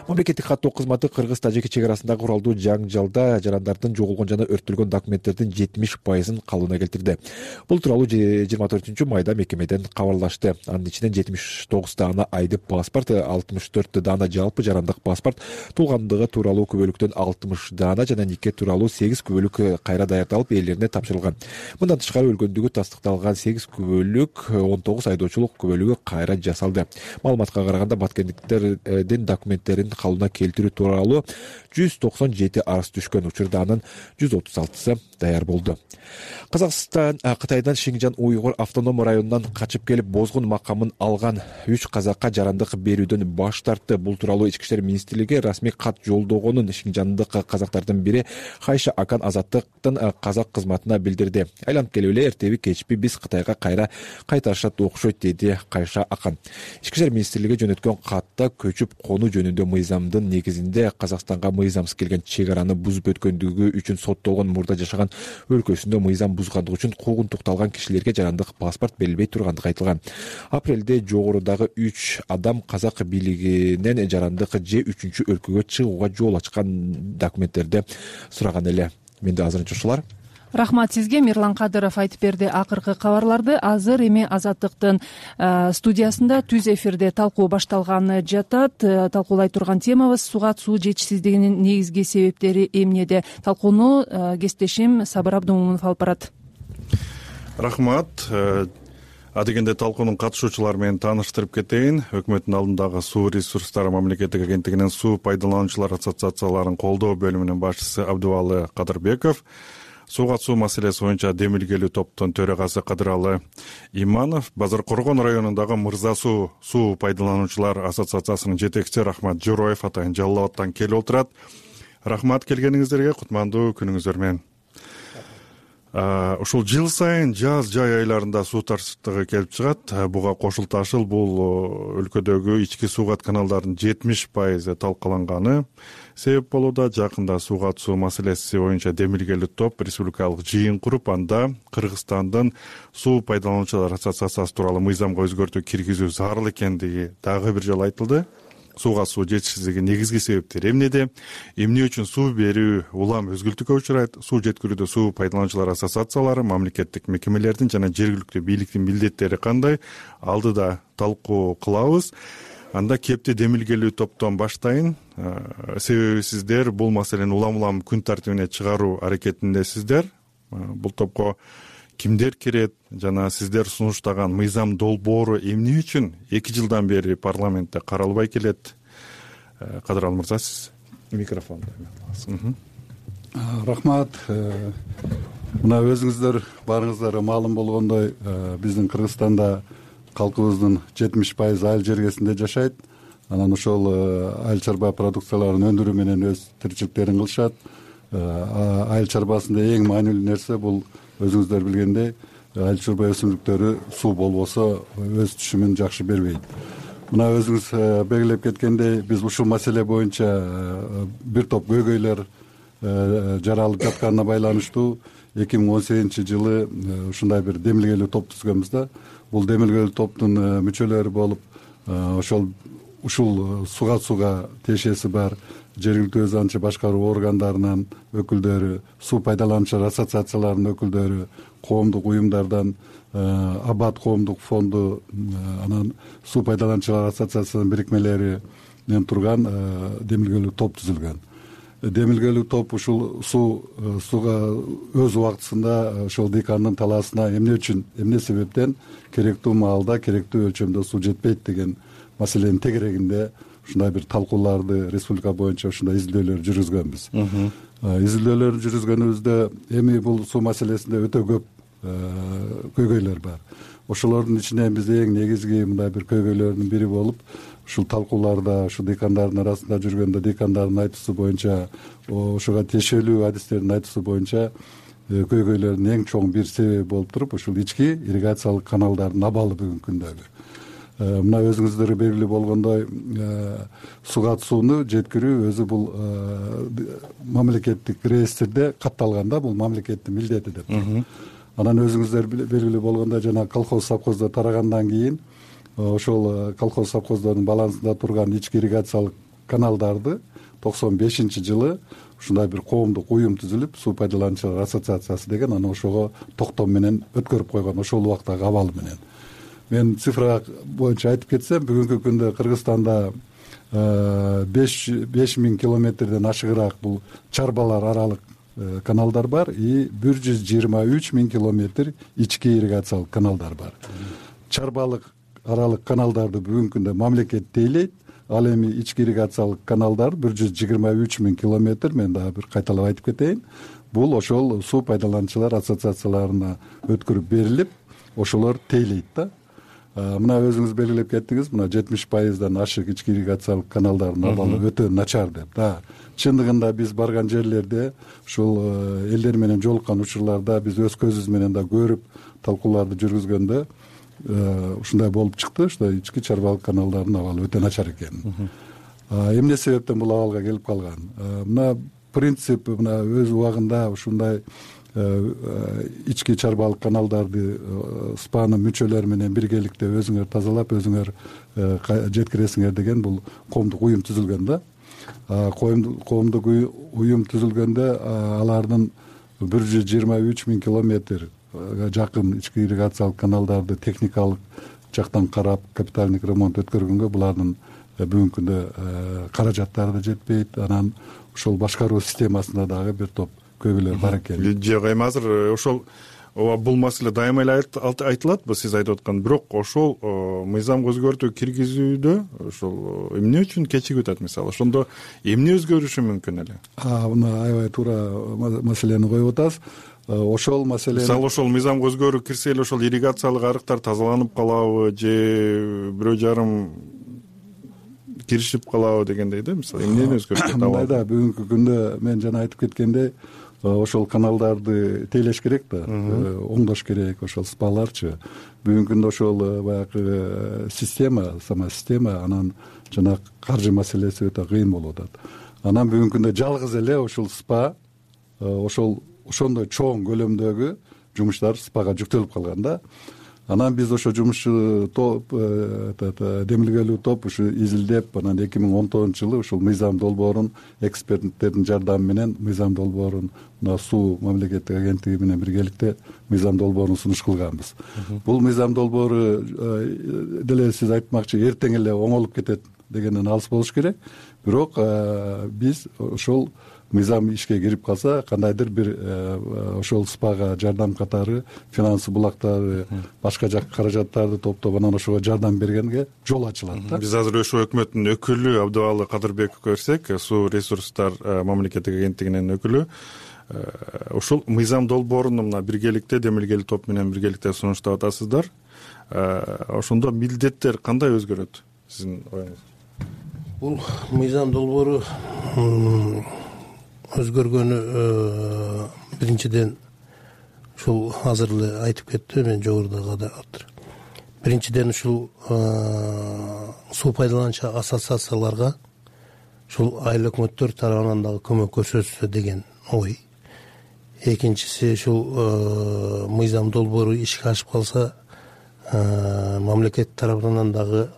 Мамлекеттик каттоо кызматы Кыргыз-Тажик чек арасындагы куралдуу жаңжалда жарандардын жоголгон жана өрттөлгөн документтердин жетимиш пайызын калыбына келтирди. Бул тууралуу жыйырма төртүнчү майда мекемеден кабарлашты. Анын ичинен жетимиш тогуз даана айдык паспорт, алтымыш төрт даана жалпы жарандык паспорт, туулгандыгы тууралуу күбөлүктөн алтымыш даана жана нике тууралуу сегиз күбөлүк кайра даярдалып ээлерине тапшырылган. Мындан тышкары өлгөндүгү тастыкталган сегиз күбөлүк, он тогуз айдоочулук күбөлүгү кайра жасалды. Маалыматка караганда баткендиктердин документтерин калыбына келтирүү тууралуу жүз токсон жети арыз түшкөн. Учурда анын жүз отуз алтысы даяр болду. Казакстан Кытайдан Шинжан уйгур автоном районунан качып келип бозгун макамын алган үч казакка жарандык берүүдөн баш тартты. Бул тууралуу Ички иштер министрлиги расмий кат жолдогонун шинжандык казактардын бири Хайша Акан Азаттыктын казак кызматына билдирди. Айланып келип эле эртеби кечпи биз Кытайга кайра кайтарышат окшойт, деди Кайша Акан. Ички иштер министрлиги жөнөткөн катта көчүп конуу жөнүндө мыйзамдын негизинде Казакстанга мыйзамсыз келген чек араны бузуп өткөндүгү үчүн соттолгон, мурда жашаган өлкөсүндө мыйзам бузгандыгы үчүн куугунтукталган кишилерге жарандык паспорт берилбей тургандыгы айтылган. Апрелде жогорудагы үч адам казак бийлигинен жарандык же үчүнчү өлкөгө чыгууга жол ачкан документтерди сураган эле. Менде азырынча ушулар. Рахмат сизге. Мирлан Кадыров айтып берди акыркы кабарларды. Азыр эми Азаттыктын студиясында түз эфирде талкуу башталганы жатат. Талкуулай турган темабыз сугат суу жетишсиздигинин негизги себептери эмнеде. Талкууну кесиптешим Сабыр Абдумомунов алып барат. Рахмат. Адегенде талкуунун катышуучулары менен тааныштырып кетейин. Өкмөттүн алдындагы суу ресурстары мамлекеттик агенттигинин суу пайдалануучулар ассоциацияларын колдоо бөлүмүнүн башчысы Абдубалы Кадырбеков, сугат суу маселеси боюнча демилгелүү топтун төрагасы Кадыралы Иманов, Базар Коргон районундагы Мырза суу суу пайдалануучулар ассоциациясынын жетекчиси Рахмат Жороев атайын Жалал абадтан келип отурат. Рахмат келгениңиздерге, кутмандуу күнүңүздөр менен. Ушул жыл сайын жаз жай айларында суу тартыштыгы келип чыгат. Буга кошулташыл бул өлкөдөгү ички суугат каналдардын жетимиш пайызы талкаланганы себеп болууда. Жакында сугат суу маселеси боюнча демилгелүү топ республикалык жыйын куруп, анда Кыргызстандын суу пайдалануучулар ассоциациясы тууралуу мыйзамга өзгөртүү киргизүү зарыл экендиги дагы бир жолу айтылды. Суга суу жетишсиздиги негизги себептери эмнеде, эмне үчүн суу берүү улам өзгүлтүккө учурайт, суу жеткирүүдө суу пайдалануучулар ассоциациялары, мамлекеттик мекемелердин жана жергиликтүү бийликтин милдеттери кандай, алдыда талкуу кылабыз. Анда кепти демилгелүү топтон баштайын. Себеби сиздер бул маселени улам-улам күн тартибине чыгаруу аракетиндесиздер. Бул топко кимдер кирет жана сиздер сунуштаган мыйзам долбоору эмне үчүн эки жылдан бери парламентте каралбай келет? Кадыралы мырза, сиз микрофонду аласыз. Рахмат. Мына өзүңүздөр баарыңыздарга маалым болгондой, биздин Кыргызстанда калкыбыздын жетимиш пайызы айыл жергесинде жашайт. Анан ошол айыл чарба продукцияларын өндүрүү менен өз тиричиликтерин кылышат. Айыл чарбасында эң маанилүү нерсе бул өзүңүздөр билгендей, айыл чарба өсүмдүктөрү суу болбосо өз түшүмүн жакшы бербейт. Мына өзүңүз белгилеп кеткендей, биз ушул маселе боюнча бир топ көйгөйлөр жаралып жатканына байланыштуу эки миң он сегизинчи жылы ушундай бир демилгелүү топ түзгөнбүз да. Бул демилгелүү топтун мүчөлөрү болуп, ошол ушул сугат сууга тиешеси бар жергиликтүү өз аңчы башкаруу органдарынын өкүлдөрү, суу пайдалануучулар ассоциацияларынын өкүлдөрү, коомдук уюмдардан Абад коомдук фонду, анан суу пайдалануучулар ассоциациясынын бирикмелеринен турган демилгелүү топ түзүлгөн. Демилгелүү топ ушул суу сууга өз убактысында ошол дыйкандын талаасына эмне үчүн, эмне себептен керектүү маалда, керектүү өлчөмдө суу жетпейт деген маселенин тегерегинде ушундай бир талкууларды республика боюнча ушундай изилдөөлөр жүргүзгөнбүз. Изилдөөлөрдү жүргүзгөнүбүздө эми бул суу маселесинде өтө көп көйгөйлөр бар. Ошолордун ичинен биз эң негизги мындай бир көйгөйлөрдүн бири болуп, ушул талкууларда, ушу дыйкандардын арасында жүргөндө дыйкандардын айтуусу боюнча, ошого тиешелүү адистердин айтуусу боюнча көйгөйлөрдүн эң чоң бир себеби болуп туруп, ушул ички ирригациялык каналдардын абалы бүгүнкү күндөгү. Мына өзүңүздөргө белгилүү болгондой, сугат сууну жеткирүү өзү бул мамлекеттик реестрде катталган да, бул мамлекеттин милдети деп. Анан өзүңүздөр белгилүү болгондой, жана колхоз совхоздо тарагандан кийин ошол колхоз совхоздордун балансында турган ички ирригациялык каналдарды токсон бешинчи жылы ушундай бир коомдук уюм түзүлүп, суу пайдалануучулар ассоциациясы деген, анан ошого токтом менен өткөрүп койгон, ошол убактагы абалы менен. Мен цифра боюнча айтып кетсем, бүгүнкү күндө Кыргызстанда беш миң километрден ашыгыраак бул чарбалар аралык каналдар бар и бир жүз жыйырма үч миң километр ички ирригациялык каналдар бар. Чарбалык аралык каналдарды бүгүнкү күндө мамлекет тейлейт, ал эми ички ирригациялык каналдар бир жүз жыйырма үч миң километр, мен дагы бир кайталап айтып кетейин. Бул ошол суу пайдалануучулар ассоциацияларына өткөрүп берилип, ошолор тейлейт да. Мына өзүңүз белгилеп кеттиңиз, мына жетимиш пайыздан ашык ички ирригациялык каналдардын абалы өтө начар деп. Да, чындыгында биз барган жерлерде, ушул элдер менен жолуккан учурларда биз өз көзүбүз менен да көрүп, талкууларды жүргүзгөндө ушундай болуп чыкты, ушундай ички чарбалык каналдардын абалы өтө начар экен. Эмне себептен бул абалга келип калган? Мына принцип мына өз убагында ушундай ички чарбалык каналдарды спаны мүчөлөр менен биргеликте өзүңөр тазалап, өзүңөр жеткиресиңер деген бул коомдук уюм түзүлгөн да. Коомдук уюм түзүлгөндө алардын бир жүз жыйырма үч миң километр жакын ички ирригациялык каналдарды техникалык жактан карап капиталдык ремонт өткөргөнгө булардын бүгүнкү күндө каражаттары да жетпейт. Анан ошол башкаруу системасында дагы бир топ көйгөйлөр бар экен. Жок, эми азыр ошол ооба бул маселе дайыма эле айтылатбы сиз айтып аткан, бирок ошол мыйзамга өзгөртүү киргизүүдө ошол эмне үчүн кечигип атат мисалы? Ошондо эмне өзгөрүшү мүмкүн эле? Мына аябай туура маселени коюп атасыз. Ошол маселе мисалы ошол мыйзамга өзгөрүү кирсе эле ошол ирригациялык арыктар тазаланып калабы же бирөө жарым киришип калабы дегендей да, мисалы эмнени өзгөртөт? Мындай да, бүгүнкү күндө мен жана айтып кеткендей ошол каналдарды тейлеш керек да, оңдош керек. Ошол спаларчы бүгүнкү күндө ошол баягы система, сама система, анан жана каржы маселеси өтө кыйын болуп атат. Анан бүгүнкү күндө жалгыз эле ушул спа ошол ошондой чоң көлөмдөгү жумуштар спага жүктөлүп калган да. Анан биз ошо жумушчу топ, демилгелүү топ ушу изилдеп, анан эки миң он тогузунчу жылы ушул мыйзам долбоорун эксперттердин жардамы менен мыйзам долбоорун мына суу мамлекеттик агенттиги менен биргеликте мыйзам долбоорун сунуш кылганбыз. Бул мыйзам долбоору деле сиз айтмакчы эртең эле оңолуп кетет дегенден алыс болуш керек. Бирок биз ошол мыйзам ишке кирип калса, кандайдыр бир ошол спага жардам катары финансы булактары, башка жак каражаттарды топтоп анан ошого жардам бергенге жол ачылат да. Биз азыр ошо өкмөттүн өкүлү Абдыбалы Кадырбековго көрсөк, суу ресурстар мамлекеттик агенттигинин өкүлү, ушул мыйзам долбооруну мына биргеликте демилгелүү топ менен биргеликте сунуштап атасыздар. Ошондо милдеттер кандай өзгөрөт сиздин оюңуз? Бул мыйзам долбоору өзгөргөнү биринчиден ушул азыр эле айтып кетти, мен жогорудагы да отур. Биринчиден ушул суу пайдалануучу ассоциацияларга ушул айыл өкмөттөр тарабынан дагы көмөк көрсөтсө деген ой. Экинчиси ушул мыйзам долбоору ишке ашып калса, мамлекет тарабынан дагы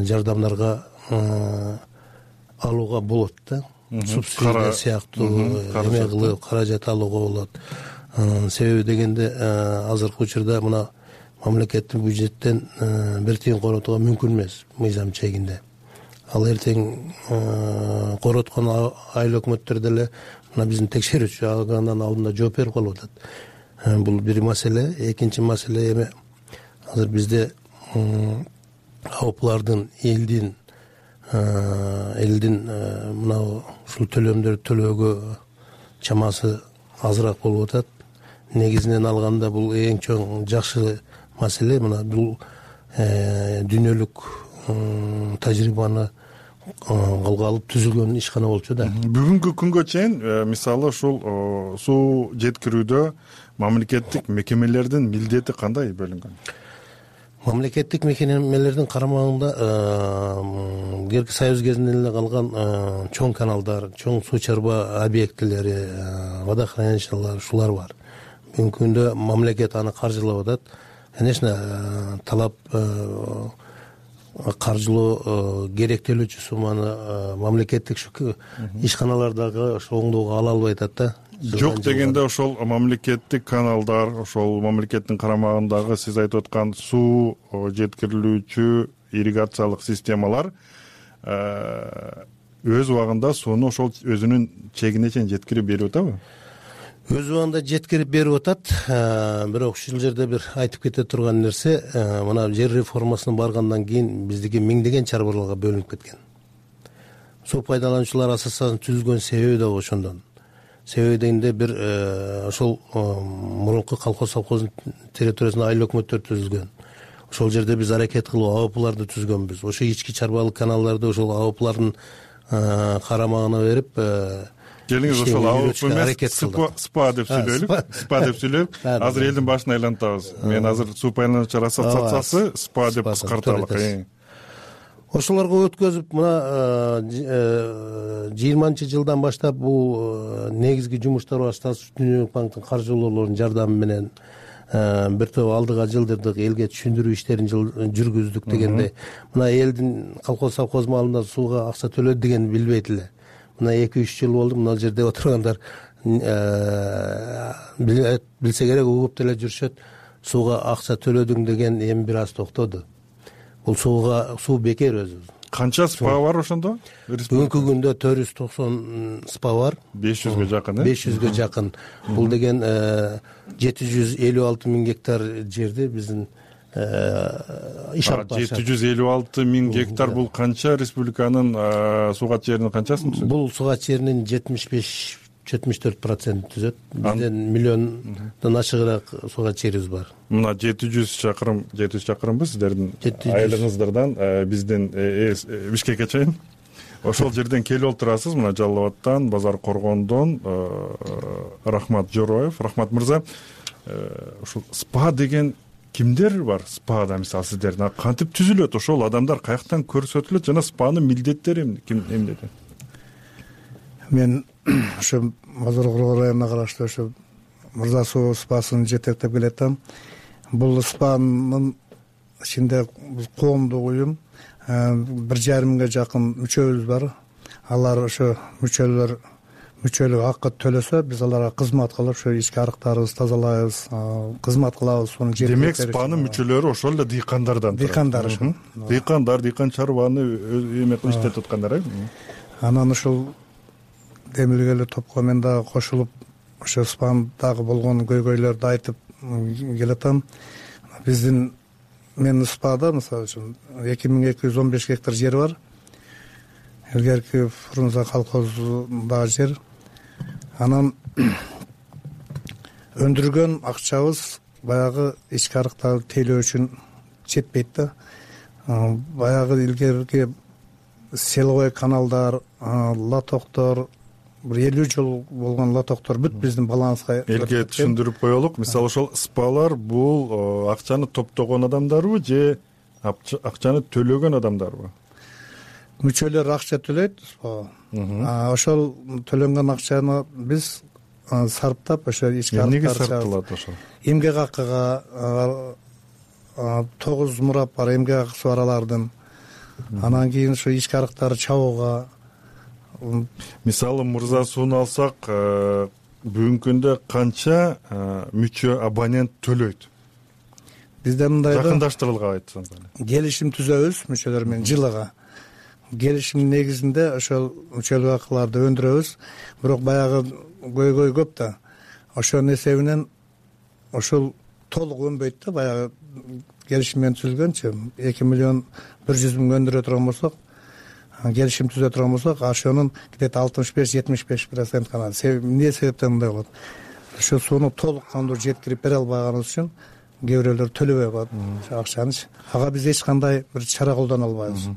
жардамдарга алууга болот да. Субсидия сыяктуу эме кылып каражат алууга болот. Себеби дегенде азыркы учурда мына мамлекеттин бюджеттен бир тыйын коротууга мүмкүн эмес мыйзам чегинде. Ал эртең короткон айыл өкмөттөр деле мына биздин текшерүүчү органдын алдында жооп берип калып атат. Бул бир маселе. Экинчи маселе эме азыр бизде аоплардын элдин элдин мына ушул төлөмдөрдү төлөөгө чамасы азыраак болуп атат. Негизинен алганда бул эң чоң жакшы маселе. Мына бул дүйнөлүк тажрыйбаны колго алып түзүлгөн ишкана болчу да. Бүгүнкү күнгө чейин мисалы ушул суу жеткирүүдө мамлекеттик мекемелердин милдети кандай бөлүнгөн? Мамлекеттик мекемелердин карамагында Герки Союз кезинен эле калган чоң каналдар, чоң суу чарба объектилери, водохранилищалар ушулар бар. Бүгүнкү күндө мамлекет аны каржылап атат. Конечно, талап каржылоо керектелүүчү сумманы мамлекеттик ишканалардагы ошо оңдоого ала албай атат да. Жок дегенде ошол мамлекеттик каналдар, ошол мамлекеттин карамагындагы сиз айтып аткан суу жеткирилүүчү ирригациялык системалар өз убагында сууну ошол өзүнүн чегине чейин жеткирип берип атабы? Өз убагында жеткирип берип атат. Бирок ушул жерде бир айтып кете турган нерсе, мына жер реформасына баргандан кийин биздики миңдеген чарбаларга бөлүнүп кеткен. Суу пайдалануучулар ассоциациясынын түзүлгөн себеби да ошондон. Себеби дегенде бир ошол мурунку колхоз совхоздун территориясында айыл өкмөттөр түзүлгөн. Ошол жерде биз аракет кылып АОПларды түзгөнбүз. Ошо ички чарбалык каналдарды ошол АОПлардын карамагына берип, келиңиз ошол АОП эмес СПА деп сүйлөйлү. СПА деп сүйлөп, азыр элдин башын айлантабыз. Мен азыр суу пайдалануучулар ассоциациясы СПА деп кыскарталык. Ошолорго өткөзүп, мына жыйырманчы жылдан баштап бул негизги жумуштар башталып, Дүйнөлүк банктын каржылоолорунун жардамы менен бир топ алдыга жылдырдык, элге түшүндүрүү иштерин жүргүздүк дегенде, мына элдин колхоз совхоз маалында сууга акча төлөдү дегенди билбейт эле. Мына эки үч жыл болду, мына жерде отургандар билсе керек угуп деле жүрүшөт, сууга акча төлөдүң деген эми бир аз токтоду. Бул сууга суу бекер өзү. Канча спа бар ошондо? Бүгүнкү күндө төрт жүз токсон спа бар. беш жүзгө жакын, э? беш жүзгө жакын. Бул деген жети жүз элүү алты миң гектар жерди биздин иш алып барышат. жети жүз элүү алты миң гектар бул канча республиканын суугат жеринин канчасын түзөт? Бул суугат жеринин жетимиш беш жетимиш төрт процент түзөт. Бизден миллиондон ашыгыраак суугат жерибиз бар. Мына жети жүз чакырым, жети жүз чакырымбы сиздердин айылыңыздардан биздин Бишкекке чейин. Ошол жерден келип отурасыз, мына Жалал Абадтан, Базар Коргондон. Рахмат Жороев. Рахмат мырза, ушул спа деген кимдер бар? Спада мисалы сиздердин кантип түзүлөт? Ошол адамдар каяктан көрсөтүлөт жана спанын милдеттери ким эмнеде? Мен ошо Базар Коргон районуна караштуу ошо Мырза суу спасын жетектеп келатам. Бул спанын ичинде коомдук уюм, бир жарым миңге жакын мүчөбүз бар. Алар ошо мүчөлөр мүчөлүк акы төлөсө, биз аларга кызмат кылып, ошо ички арыктарыбызды тазалайбыз, кызмат кылабыз. Демек спанын мүчөлөрү ошол эле дыйкандардан турат. Дыйкандар ошо. Дыйкандар, дыйкан чарбаны эме кылып иштетип аткандар, э? Анан ушул демилгелүү топко мен дагы кошулуп, ошо спандагы болгон көйгөйлөрдү айтып келатам. Биздин мен спада мисалы үчүн эки миң эки жүз он беш гектар жер бар. Илгерки Фрунзе колхозундагы жер. Анан өндүргөн акчабыз баягы ички арыктарды тейлөө үчүн жетпейт да. Баягы илгерки селовой каналдар, лотоктор, бир элүү жыл болгон лотоктор бүт биздин балансга элге түшүндүрүп коелук. Мисалы ошол спалар бул акчаны топтогон адамдарбы же акчаны төлөгөн адамдарбы? Мүчөлөр акча төлөйт. Ошол төлөнгөн акчаны биз сарптап ошо ички арыктар. Эмнеге сарпталат ошол? Эмгек акыга тогуз мурап бар, эмгек акысы бар алардын. Анан кийин ошо ички арыктарды чабууга. Мисалы Мырза сууну алсак, бүгүнкү күндө канча мүчө абонент төлөйт? Бизде мындай жакындаштырылган айтсаңыз. Келишим түзөбүз мүчөлөр менен жылыга. Келишим негизинде ошол мүчөлүк акыларды өндүрөбүз. Бирок баягы көйгөй көп да. Ошонун эсебинен ошол толук өнбөйт да. Баягы келишим менен түзүлгөнчү эки миллион бир жүз миң өндүрө турган болсок, келишим түзө турган болсок, ошонун где-то алтымыш беш жетимиш беш процент гана. Эмне себептен мындай болот? Ошо сууну толук кандуу жеткирип бере албаганыбыз үчүн кээ бирөөлөр төлөбөй коет акчаны. Ага биз эч кандай бир чара колдоно албайбыз.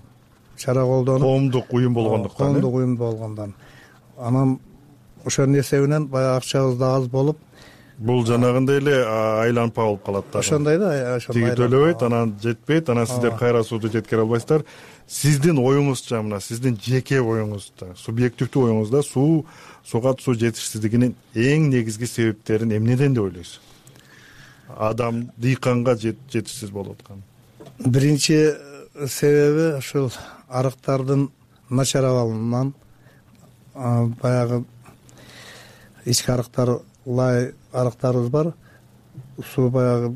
Чара колдонуп, коомдук уюм болгондуктан, коомдук уюм болгондон. Анан ошонун эсебинен баягы акчабыз да аз болуп, бул жанагындай эле айланпа болуп калат да. Ошондой да, ошондой. Тиги төлөбөйт, анан жетпейт, анан сиздер кайра сууду жеткире албайсыздар. Сиздин оюңузча, мына сиздин жеке оюңузда, субъективдүү оюңузда суу суугат суу жетишсиздигинин эң негизги себептерин эмнеден деп ойлойсуз? Адам дыйканга жетишсиз болуп аткан. Биринчи себеби ушул арыктардын начар абалынан, баягы ички арыктар, лай арыктарыбыз бар. Суу баягы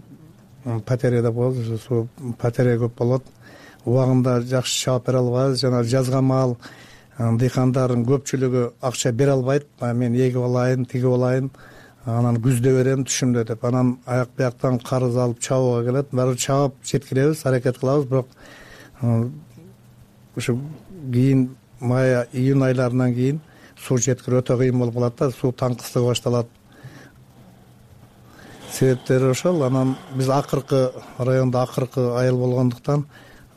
патерия деп коебуз, суу патерия көп болот. Убагында жакшы чаап бере албайбыз. Жана жазга маал дыйкандардын көпчүлүгү акча бере албайт. Мен эгип алайын, тигип алайын, анан күздө берем, түшүмдө деп. Анан аяк бияктан карыз алып чабууга келет. Баары чаап жеткиребиз, аракет кылабыз, бирок ушу кийин май, июнь айларынан кийин суу жеткирүү өтө кыйын болуп калат да, суу таңкыстыгы башталат. Себептери ошол. Анан биз акыркы райондо акыркы айыл болгондуктан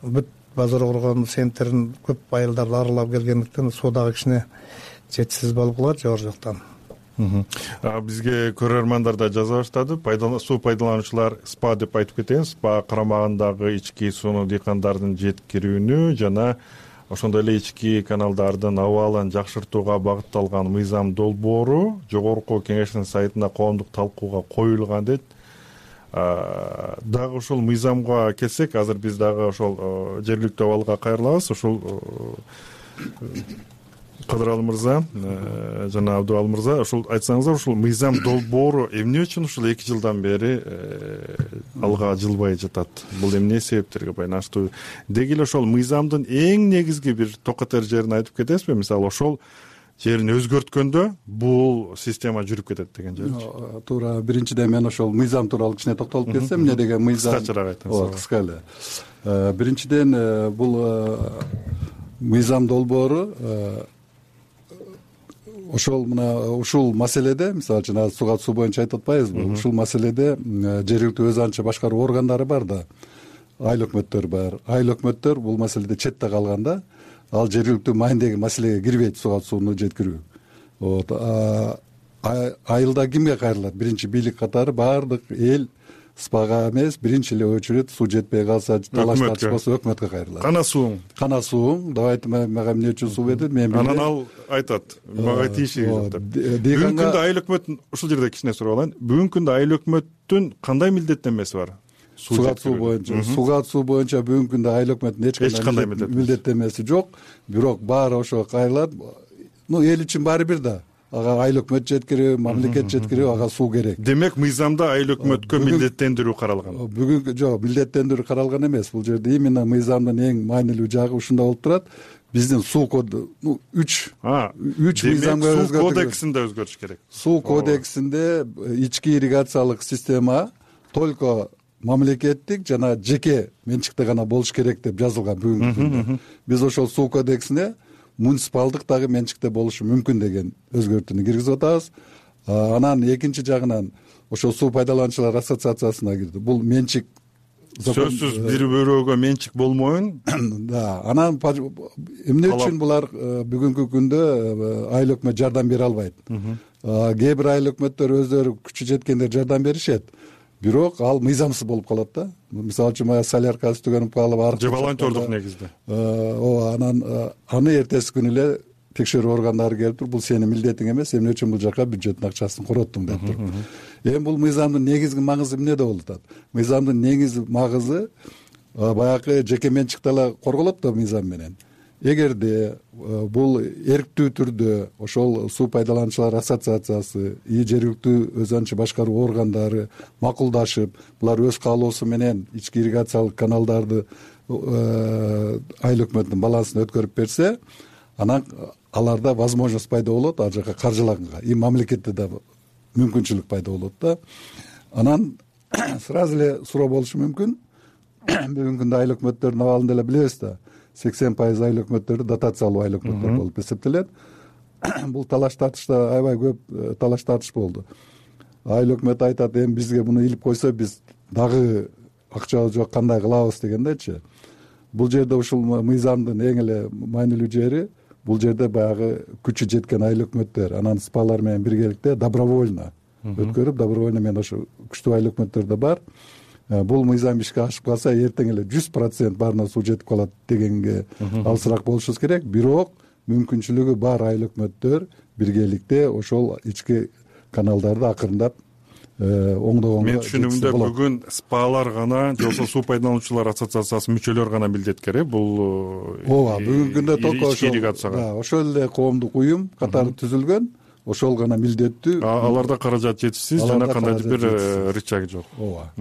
бүт Базар Коргон сентерин көп айылдарды аралап келгендиктен суу дагы кичине жетишсиз болуп калат жогору жактан. Бизге көрөрмандар да жаза баштады. Суу пайдалануучулар спа деп айтып кетейин. Спа карамагындагы ички сууну дыйкандардын жеткирүүнү жана ошондой эле ички каналдардын абалын жакшыртууга багытталган мыйзам долбоору жогорку кеңештин сайтына коомдук талкууга коюлган дейт. Дагы ошол мыйзамга келсек, азыр биз дагы ошол жергиликтүү абалга кайрылабыз. Ошол Кыдыралы мырза жана Абдубал мырза, ушул айтсаңыздар, ушул мыйзам долбоору эмне үчүн ушул эки жылдан бери алга жылбай жатат? Бул эмне себептерге байланыштуу? Деги эле ошол мыйзамдын эң негизги бир токотор жерин айтып кетесизби? Мисалы, ошол жерин өзгөрткөндө бул система жүрүп кетет деген жерчи. Туура. Биринчиден мен ошол мыйзам тууралуу кичине токтолуп кетсем, эмне деген мыйзам? Кыскачараак айтыңыз. Ооба, кыска эле. Биринчиден бул мыйзам долбоору ошол мына ушул маселеде, мисалы үчүн азыр суга суу боюнча айтып атпайбызбы? Ушул маселеде жергиликтүү өз анча башкаруу органдары бар да, айыл өкмөттөр бар. Айыл өкмөттөр бул маселеде четте калганда, ал жергиликтүү майындагы маселеге кирбейт, суга сууну жеткирүү. Вот. Айылда кимге кайрылат? Биринчи бийлик катары баардык эл спага эмес, биринчи эле очередь суу жетпей калса, талаш тартыш болсо өкмөткө кайрылат. Кана сууң. Кана сууң. Давайте мага эмне үчүн суу бердиңиз? Мен анан ал айтат, мага тиешеги жок деп. Бүгүнкү күндө айыл өкмөттүн, ушул жерде кичине сурап алайын. Бүгүнкү күндө айыл өкмөттүн кандай милдеттенмеси бар? Суга суу боюнча, суга суу боюнча бүгүнкү күндө айыл өкмөттүн эч кандай милдеттенмеси жок. Бирок баары ошого кайрылат. Ну, эл үчүн баары бир да. Ага айыл өкмөт жеткирүү, мамлекет жеткирүү, ага суу керек. Демек, мыйзамда айыл өкмөткө милдеттендирүү каралган. Бүгүнкү жок, милдеттендирүү каралган эмес. Бул жерде именно мыйзамдын эң маанилүү жагы ушунда болуп турат. Биздин суу коду, ну, үч үч мыйзамга өзгөртүү. Суу кодексинде өзгөрүш керек. Суу кодексинде ички ирригациялык система только мамлекеттик жана жеке менчикте гана болуш керек деп жазылган бүгүнкү күндө. Биз ошол суу кодексине муниципалдык дагы менчикте болушу мүмкүн деген өзгөртүүнү киргизип атабыз. Анан экинчи жагынан ошол суу пайдалануучулар ассоциациясына кирди. Бул менчик сөзсүз бир бирөөгө менчик болмоюн. Да, анан эмне үчүн булар бүгүнкү күндө айыл өкмөт жардам бере албайт? Кээ бир айыл өкмөттөр өздөрү күчү жеткендер жардам беришет. Бирок ал мыйзамсыз болуп калат да. Мисалы үчүн мага соляркасы түгөнүп калып, арык же волонтердук негизде. Ооба, анан аны эртеси күнү эле текшерүү органдары келип туруп, бул сенин милдетиң эмес, эмне үчүн бул жака бюджеттин акчасын короттуң деп туруп. Эми бул мыйзамдын негизги магызы эмнеде болуп атат? Мыйзамдын негизги магызы баягы жеке менчикте эле корголот да мыйзам менен. Эгерде бул эрктүү түрдө ошол суу пайдалануучулар ассоциациясы и жергиликтүү өз анча башкаруу органдары макулдашып, булар өз каалоосу менен ички ирригациялык каналдарды айыл өкмөтүнүн балансына өткөрүп берсе, анан аларда возможность пайда болот ал жака каржылаганга. И мамлекетте да мүмкүнчүлүк пайда болот да. Анан сразу эле суроо болушу мүмкүн. Бүгүнкү күндө айыл өкмөттөрдүн абалын деле билебиз да. сексен пайыз айыл өкмөттөрү дотациялуу айыл өкмөттөр болуп эсептелет. Бул талаш тартышта аябай көп талаш тартыш болду. Айыл өкмөт айтат, эми бизге муну илип койсо биз дагы акча жок, кандай кылабыз дегендечи. Бул жерде ушул мыйзамдын эң эле маанилүү жери, бул жерде баягы күчү жеткен айыл өкмөттөр анан спалар менен биргеликте добровольно өткөрүп, добровольно менен ошо күчтүү айыл өкмөттөр да бар. Бул мыйзам ишке ашып калса, эртең эле жүз процент баарына суу жетип калат дегенге алысыраак болушубуз керек. Бирок мүмкүнчүлүгү бар айыл өкмөттөр биргеликте ошол ички каналдарды акырындап оңдогонго. Мен түшүнүгүмдө бүгүн спалар гана, жоксо суу пайдалануучулар ассоциациясынын мүчөлөрү гана милдеткер, э? Бул ооба, бүгүнкү күндө только ошол ошол эле коомдук уюм катары түзүлгөн. Ошол гана милдеттүү. Аларда каражат жетишсиз жана кандайдыр бир рычаг жок. Ооба.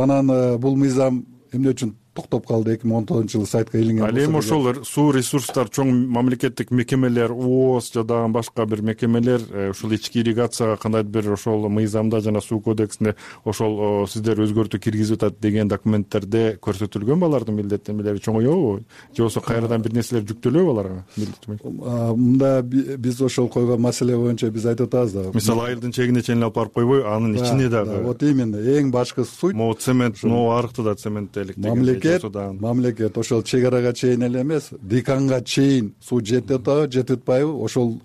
Анан бул мыйзам эмне үчүн токтоп калды? эки миң он тогузунчу жылы сайтка илинген. Ал эми ошол суу ресурстар чоң мамлекеттик мекемелер, ООС жана башка бир мекемелер ушул ички ирригацияга кандайдыр бир ошол мыйзамда жана суу кодексинде ошол сиздер өзгөртүү киргизип атат деген документтерде көрсөтүлгөнбү алардын милдеттенмелери чоңоёбу? Же болбосо кайрадан бир нерселер жүктөлөбү аларга? Мында биз ошол койгон маселе боюнча биз айтып атабыз да. Мисалы, айылдын чегине чейин алып барып койбой, анын ичине дагы. Вот именно эң башкы суть. Могу цемент, могу арыкты да цементтелик деген. Мамлекет ошол чек арага чейин эле эмес, дыйканга чейин суу жетип атабы, жетип атпайбы, ошол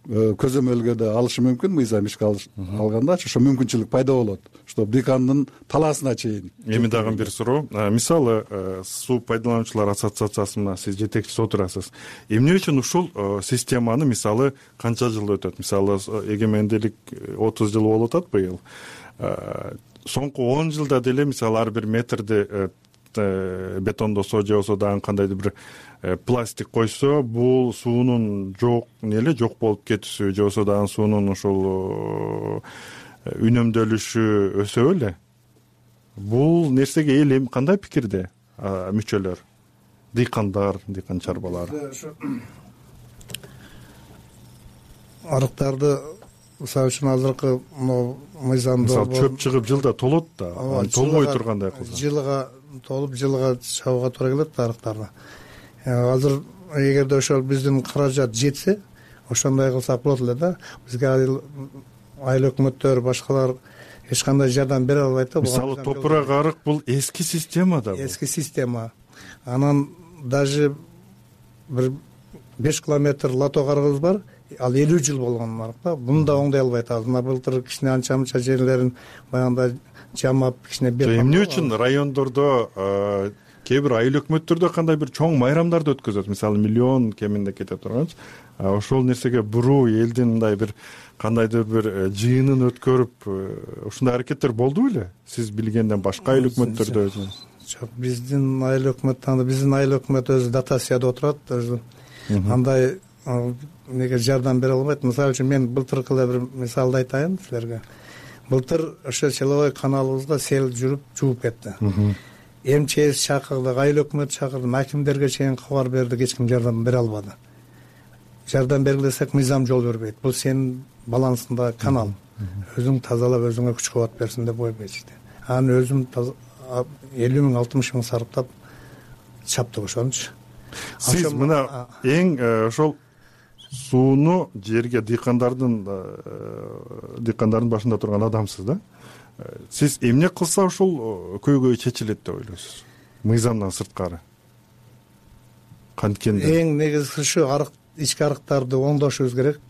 көзөмөлгө да алышы мүмкүн. Мыйзам ишке алганда ошо мүмкүнчүлүк пайда болот, чтобы дыйкандын талаасына чейин. Эми дагы бир суроо. Мисалы, суу пайдалануучулар ассоциациясына сиз жетекчиси отурасыз. Эмне үчүн ушул системаны, мисалы, канча жыл өтөт? Мисалы, эгемендүүлүк отуз жыл болуп атат быйыл. Соңку он жылда деле, мисалы, ар бир метрди бетондосо же болбосо дагы кандайдыр бир пластик койсо, бул суунун жок эле жок болуп кетүүсү же болбосо дагы суунун ошол үнөмдөлүшү өсө беле. Бул нерсеге эл эми кандай пикирде мүчөлөр, дыйкандар, дыйкан чарбалар? Арыктарды мисалы үчүн азыркы могу мыйзамда мисалы чөп чыгып жылда толот да, толбой тургандай кылса. Жылга толуп жылга чабууга туура келет да арыктарды. Азыр эгерде ошол биздин каражат жетсе, ошондой кылсак болот эле да. Бизге айыл өкмөттөр, башкалар эч кандай жардам бере албайт да. Мисалы топурак арык бул эски система да. Эски система. Анан даже бир беш километр лото карыгыбыз бар. Ал элүү жыл болгон арык да. Буну да оңдой албайт. Мына былтыр кичине анча мынча жерлерин баягындай жамап кичине бер. Эмне үчүн райондордо кээ бир айыл өкмөттөрдө кандай бир чоң майрамдарды өткөзөт, мисалы миллион кеминде кете турганчы, ошол нерсеге буруу элдин мындай бир кандайдыр бир жыйынын өткөрүп ушундай аракеттер болду беле сиз билгенден башка айыл өкмөттөрдө? Жок, биздин айыл өкмөт, биздин айыл өкмөт өзү дотацияда отурат, өзү андай неге жардам бере албайт. Мисалы үчүн мен былтыркы эле бир мисалды айтайын силерге. Былтыр ошо Человой каналыбызга сел жүрүп жууп кетти. МЧС чакырдык, айыл өкмөт чакырдым, акимдерге чейин кабар бердик, эч ким жардам бере албады. Жардам бергилесек мыйзам жол бербейт. Бул сенин балансыңда канал. Өзүң тазалап, өзүңө күч кубат берсин деп койбойт. Анан өзүм элүү миң алтымыш миң сарыптап чаптык ошончу. Сиз мына эң ошол сууну жерге дыйкандардын дыйкандардын башында турган адамсыз да. Сиз эмне кылса ушул көйгөй чечилет деп ойлойсуз? Мыйзамдан сырткары. Канткенде эң негизгиси ушу арык, ички арыктарды оңдошубуз керек.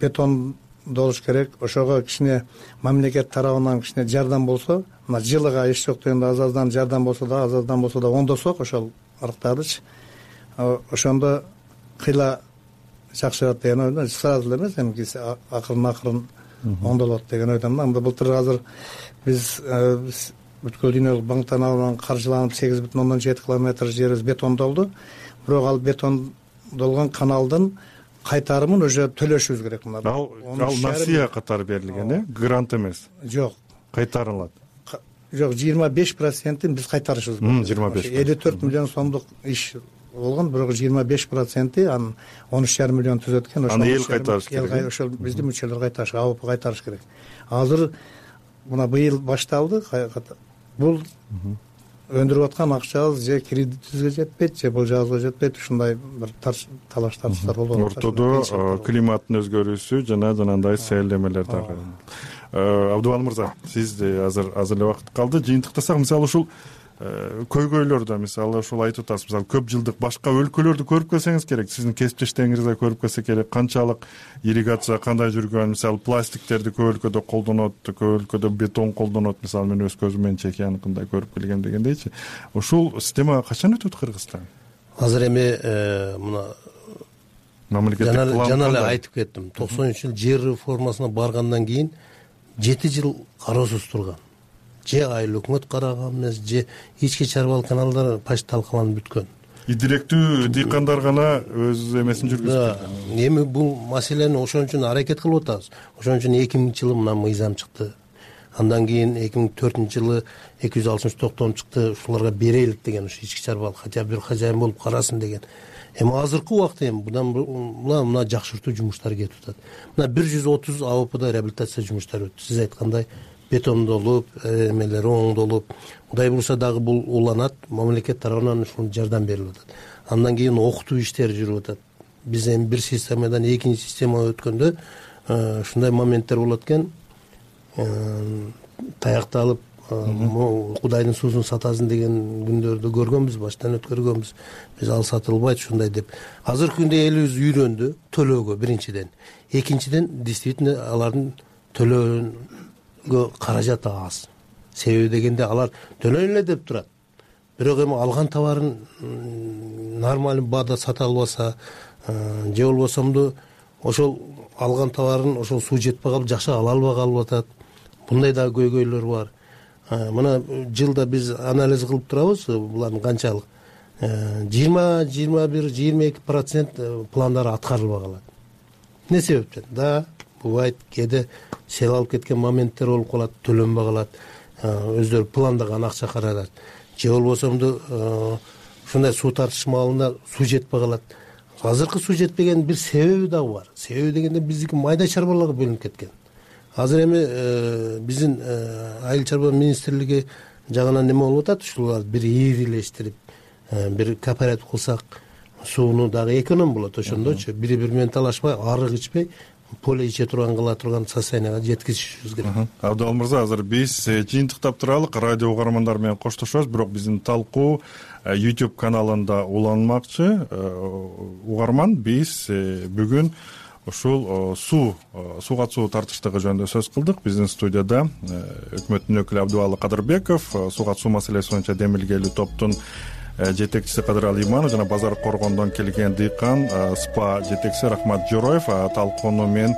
Бетон болуш керек. Ошого кичине мамлекет тарабынан кичине жардам болсо, мына жылыга эч жок дегенде аз-аздан жардам болсо да, аз-аздан болсо да оңдосок ошол арыктардычы. Ошондо кыйла жакшырат деген ойдон, сразу эле эмес, эми акырын-акырын оңдолот деген ойдон. Анда былтыр азыр биз бүткүл дүйнөлүк банктан алынган каржыланып сегиз бүтүн ондон жети километр жерибиз бетондолду. Бирок ал бетондолгон каналдын кайтарымын уже төлөшүбүз керек. Ал насыя катары берилген, э? Грант эмес. Жок. Кайтарылат. Жок, жыйырма беш процентин биз кайтарышыбыз керек. жыйырма беш. элүү төрт миллион сомдук иш болгон, бирок жыйырма беш проценти анын он үч жарым миллион түзөт экен. Аны эл кайтарыш керек. Ошол биздин мүчөлөр кайтарыш, АОП кайтарыш керек. Азыр мына быйыл башталды. Бул өндүрүп аткан акчабыз же кредитибизге жетпейт, же болжобузга жетпейт. Ушундай бир талаш тартыштар болуп атат. Ортодо климаттын өзгөрүүсү жана жанагындай сейлдемелер дагы. Абдубал мырза, сизде азыр азыр эле убакыт калды. Жыйынтыктасак, мисалы ушул көйгөйлөрдө, мисалы ушул айтып атасыз, мисалы көп жылдык башка өлкөлөрдү көрүп келсеңиз керек, сиздин кесиптештериңизди көрүп келсе керек, канчалык ирригация кандай жүргөн, мисалы пластиктерди көп өлкөдө колдонот, көп өлкөдө бетон колдонот, мисалы мен өз көзүм менен чекияныкындай көрүп келгем дегендейчи. Ушул система качан өтөт Кыргызстан? Азыр эми мына мамлекеттик план жана эле айтып кеттим. токсонунчу жыл жер реформасына баргандан кийин жети жыл кароосуз турган. Же айыл өкмөт караган эмес, же ички чарбалык каналдар почти талкаланып бүткөн. Директүү дыйкандар гана өз эмесин жүргүзүп. Эми бул маселени ошон үчүн аракет кылып атабыз. Ошон үчүн эки миңинчи жылы мына мыйзам чыкты. Андан кийин эки миң төртүнчү жылы эки жүз алтымыш токтом чыкты, ушуларга берелик деген, ушу ички чарбалык хотя бир хозяин болуп карасын деген. Эми азыркы убакта эми мына мына жакшыртуу жумуштары кетип атат. Мына бир жүз отуз АОПда реабилитация жумуштары өттү. Сиз айткандай бетондолуп, эмелери оңдолуп, кудай буюрса дагы бул уланат, мамлекет тарабынан ушул жардам берилип атат. Андан кийин окутуу иштери жүрүп атат. Биз эми бир системадан экинчи системага өткөндө ушундай моменттер болот экен. Таякталып, кудайдын суусун сатасың деген күндөрдү көргөнбүз, баштан өткөргөнбүз. Биз ал сатылбайт ушундай деп. Азыркы күндө элибиз үйрөндү төлөөгө биринчиден. Экинчиден, действительно алардын төлөөгө каражат аз. Себеби дегенде алар төлөйүн эле деп турат. Бирок эми алган товарын нормалдуу баада сата албаса, же болбосомду ошол алган товарын ошол суу жетпей калып жакшы ала албай калып атат. Мындай дагы көйгөйлөр бар. мына жылда биз анализ кылып турабыз булардын канчалык жыйырма жыйырма бир жыйырма эки процент пландары аткарылбай калат. эмне себептен? Да, бубайт кээде сел алып кеткен моменттер болуп калат, төлөнбөй калат, өздөрү пландаган акча каражат, же болбосомду ушундай суу тартыш маалында суу жетпей калат. Азыркы суу жетпеген бир себеби дагы бар. Себеби дегенде биздики майда чарбаларга бөлүнүп кеткен. Азыр эми биздин айыл чарба министрлиги жагынан неме болуп атат, ушуларды бир ийгилештирип, бир кооператив кылсак сууну дагы эконом болот, ошондочу бири бири менен талашпай, арык ичпей, поле иче турган кыла турган состоянияга жеткизишибиз керек. Абдал мырза, азыр биз жыйынтыктап туралык, радио угармандар менен коштошобуз, бирок биздин талкуу YouTube каналында уланмакчы. Угарман, биз бүгүн ушул суу сууга суу тартыштыгы жөнүндө сөз кылдык. Биздин студияда өкмөттүн өкүлү Абдубалы Кадырбеков, сууга суу маселеси боюнча демилгелүү топтун жетекчиси Кадыралы Иманов жана Базар Коргондон келген дыйкан СПА жетекчиси Рахмат Жороев. Талкууну мен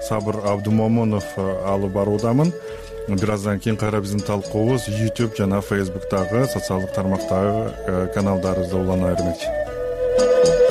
Сабыр Абдумомунов алып баруудамын. Бир аздан кийин кайра биздин талкуубуз YouTube жана Facebook'тагы социалдык тармактагы каналдарыбызда улана бермекчи.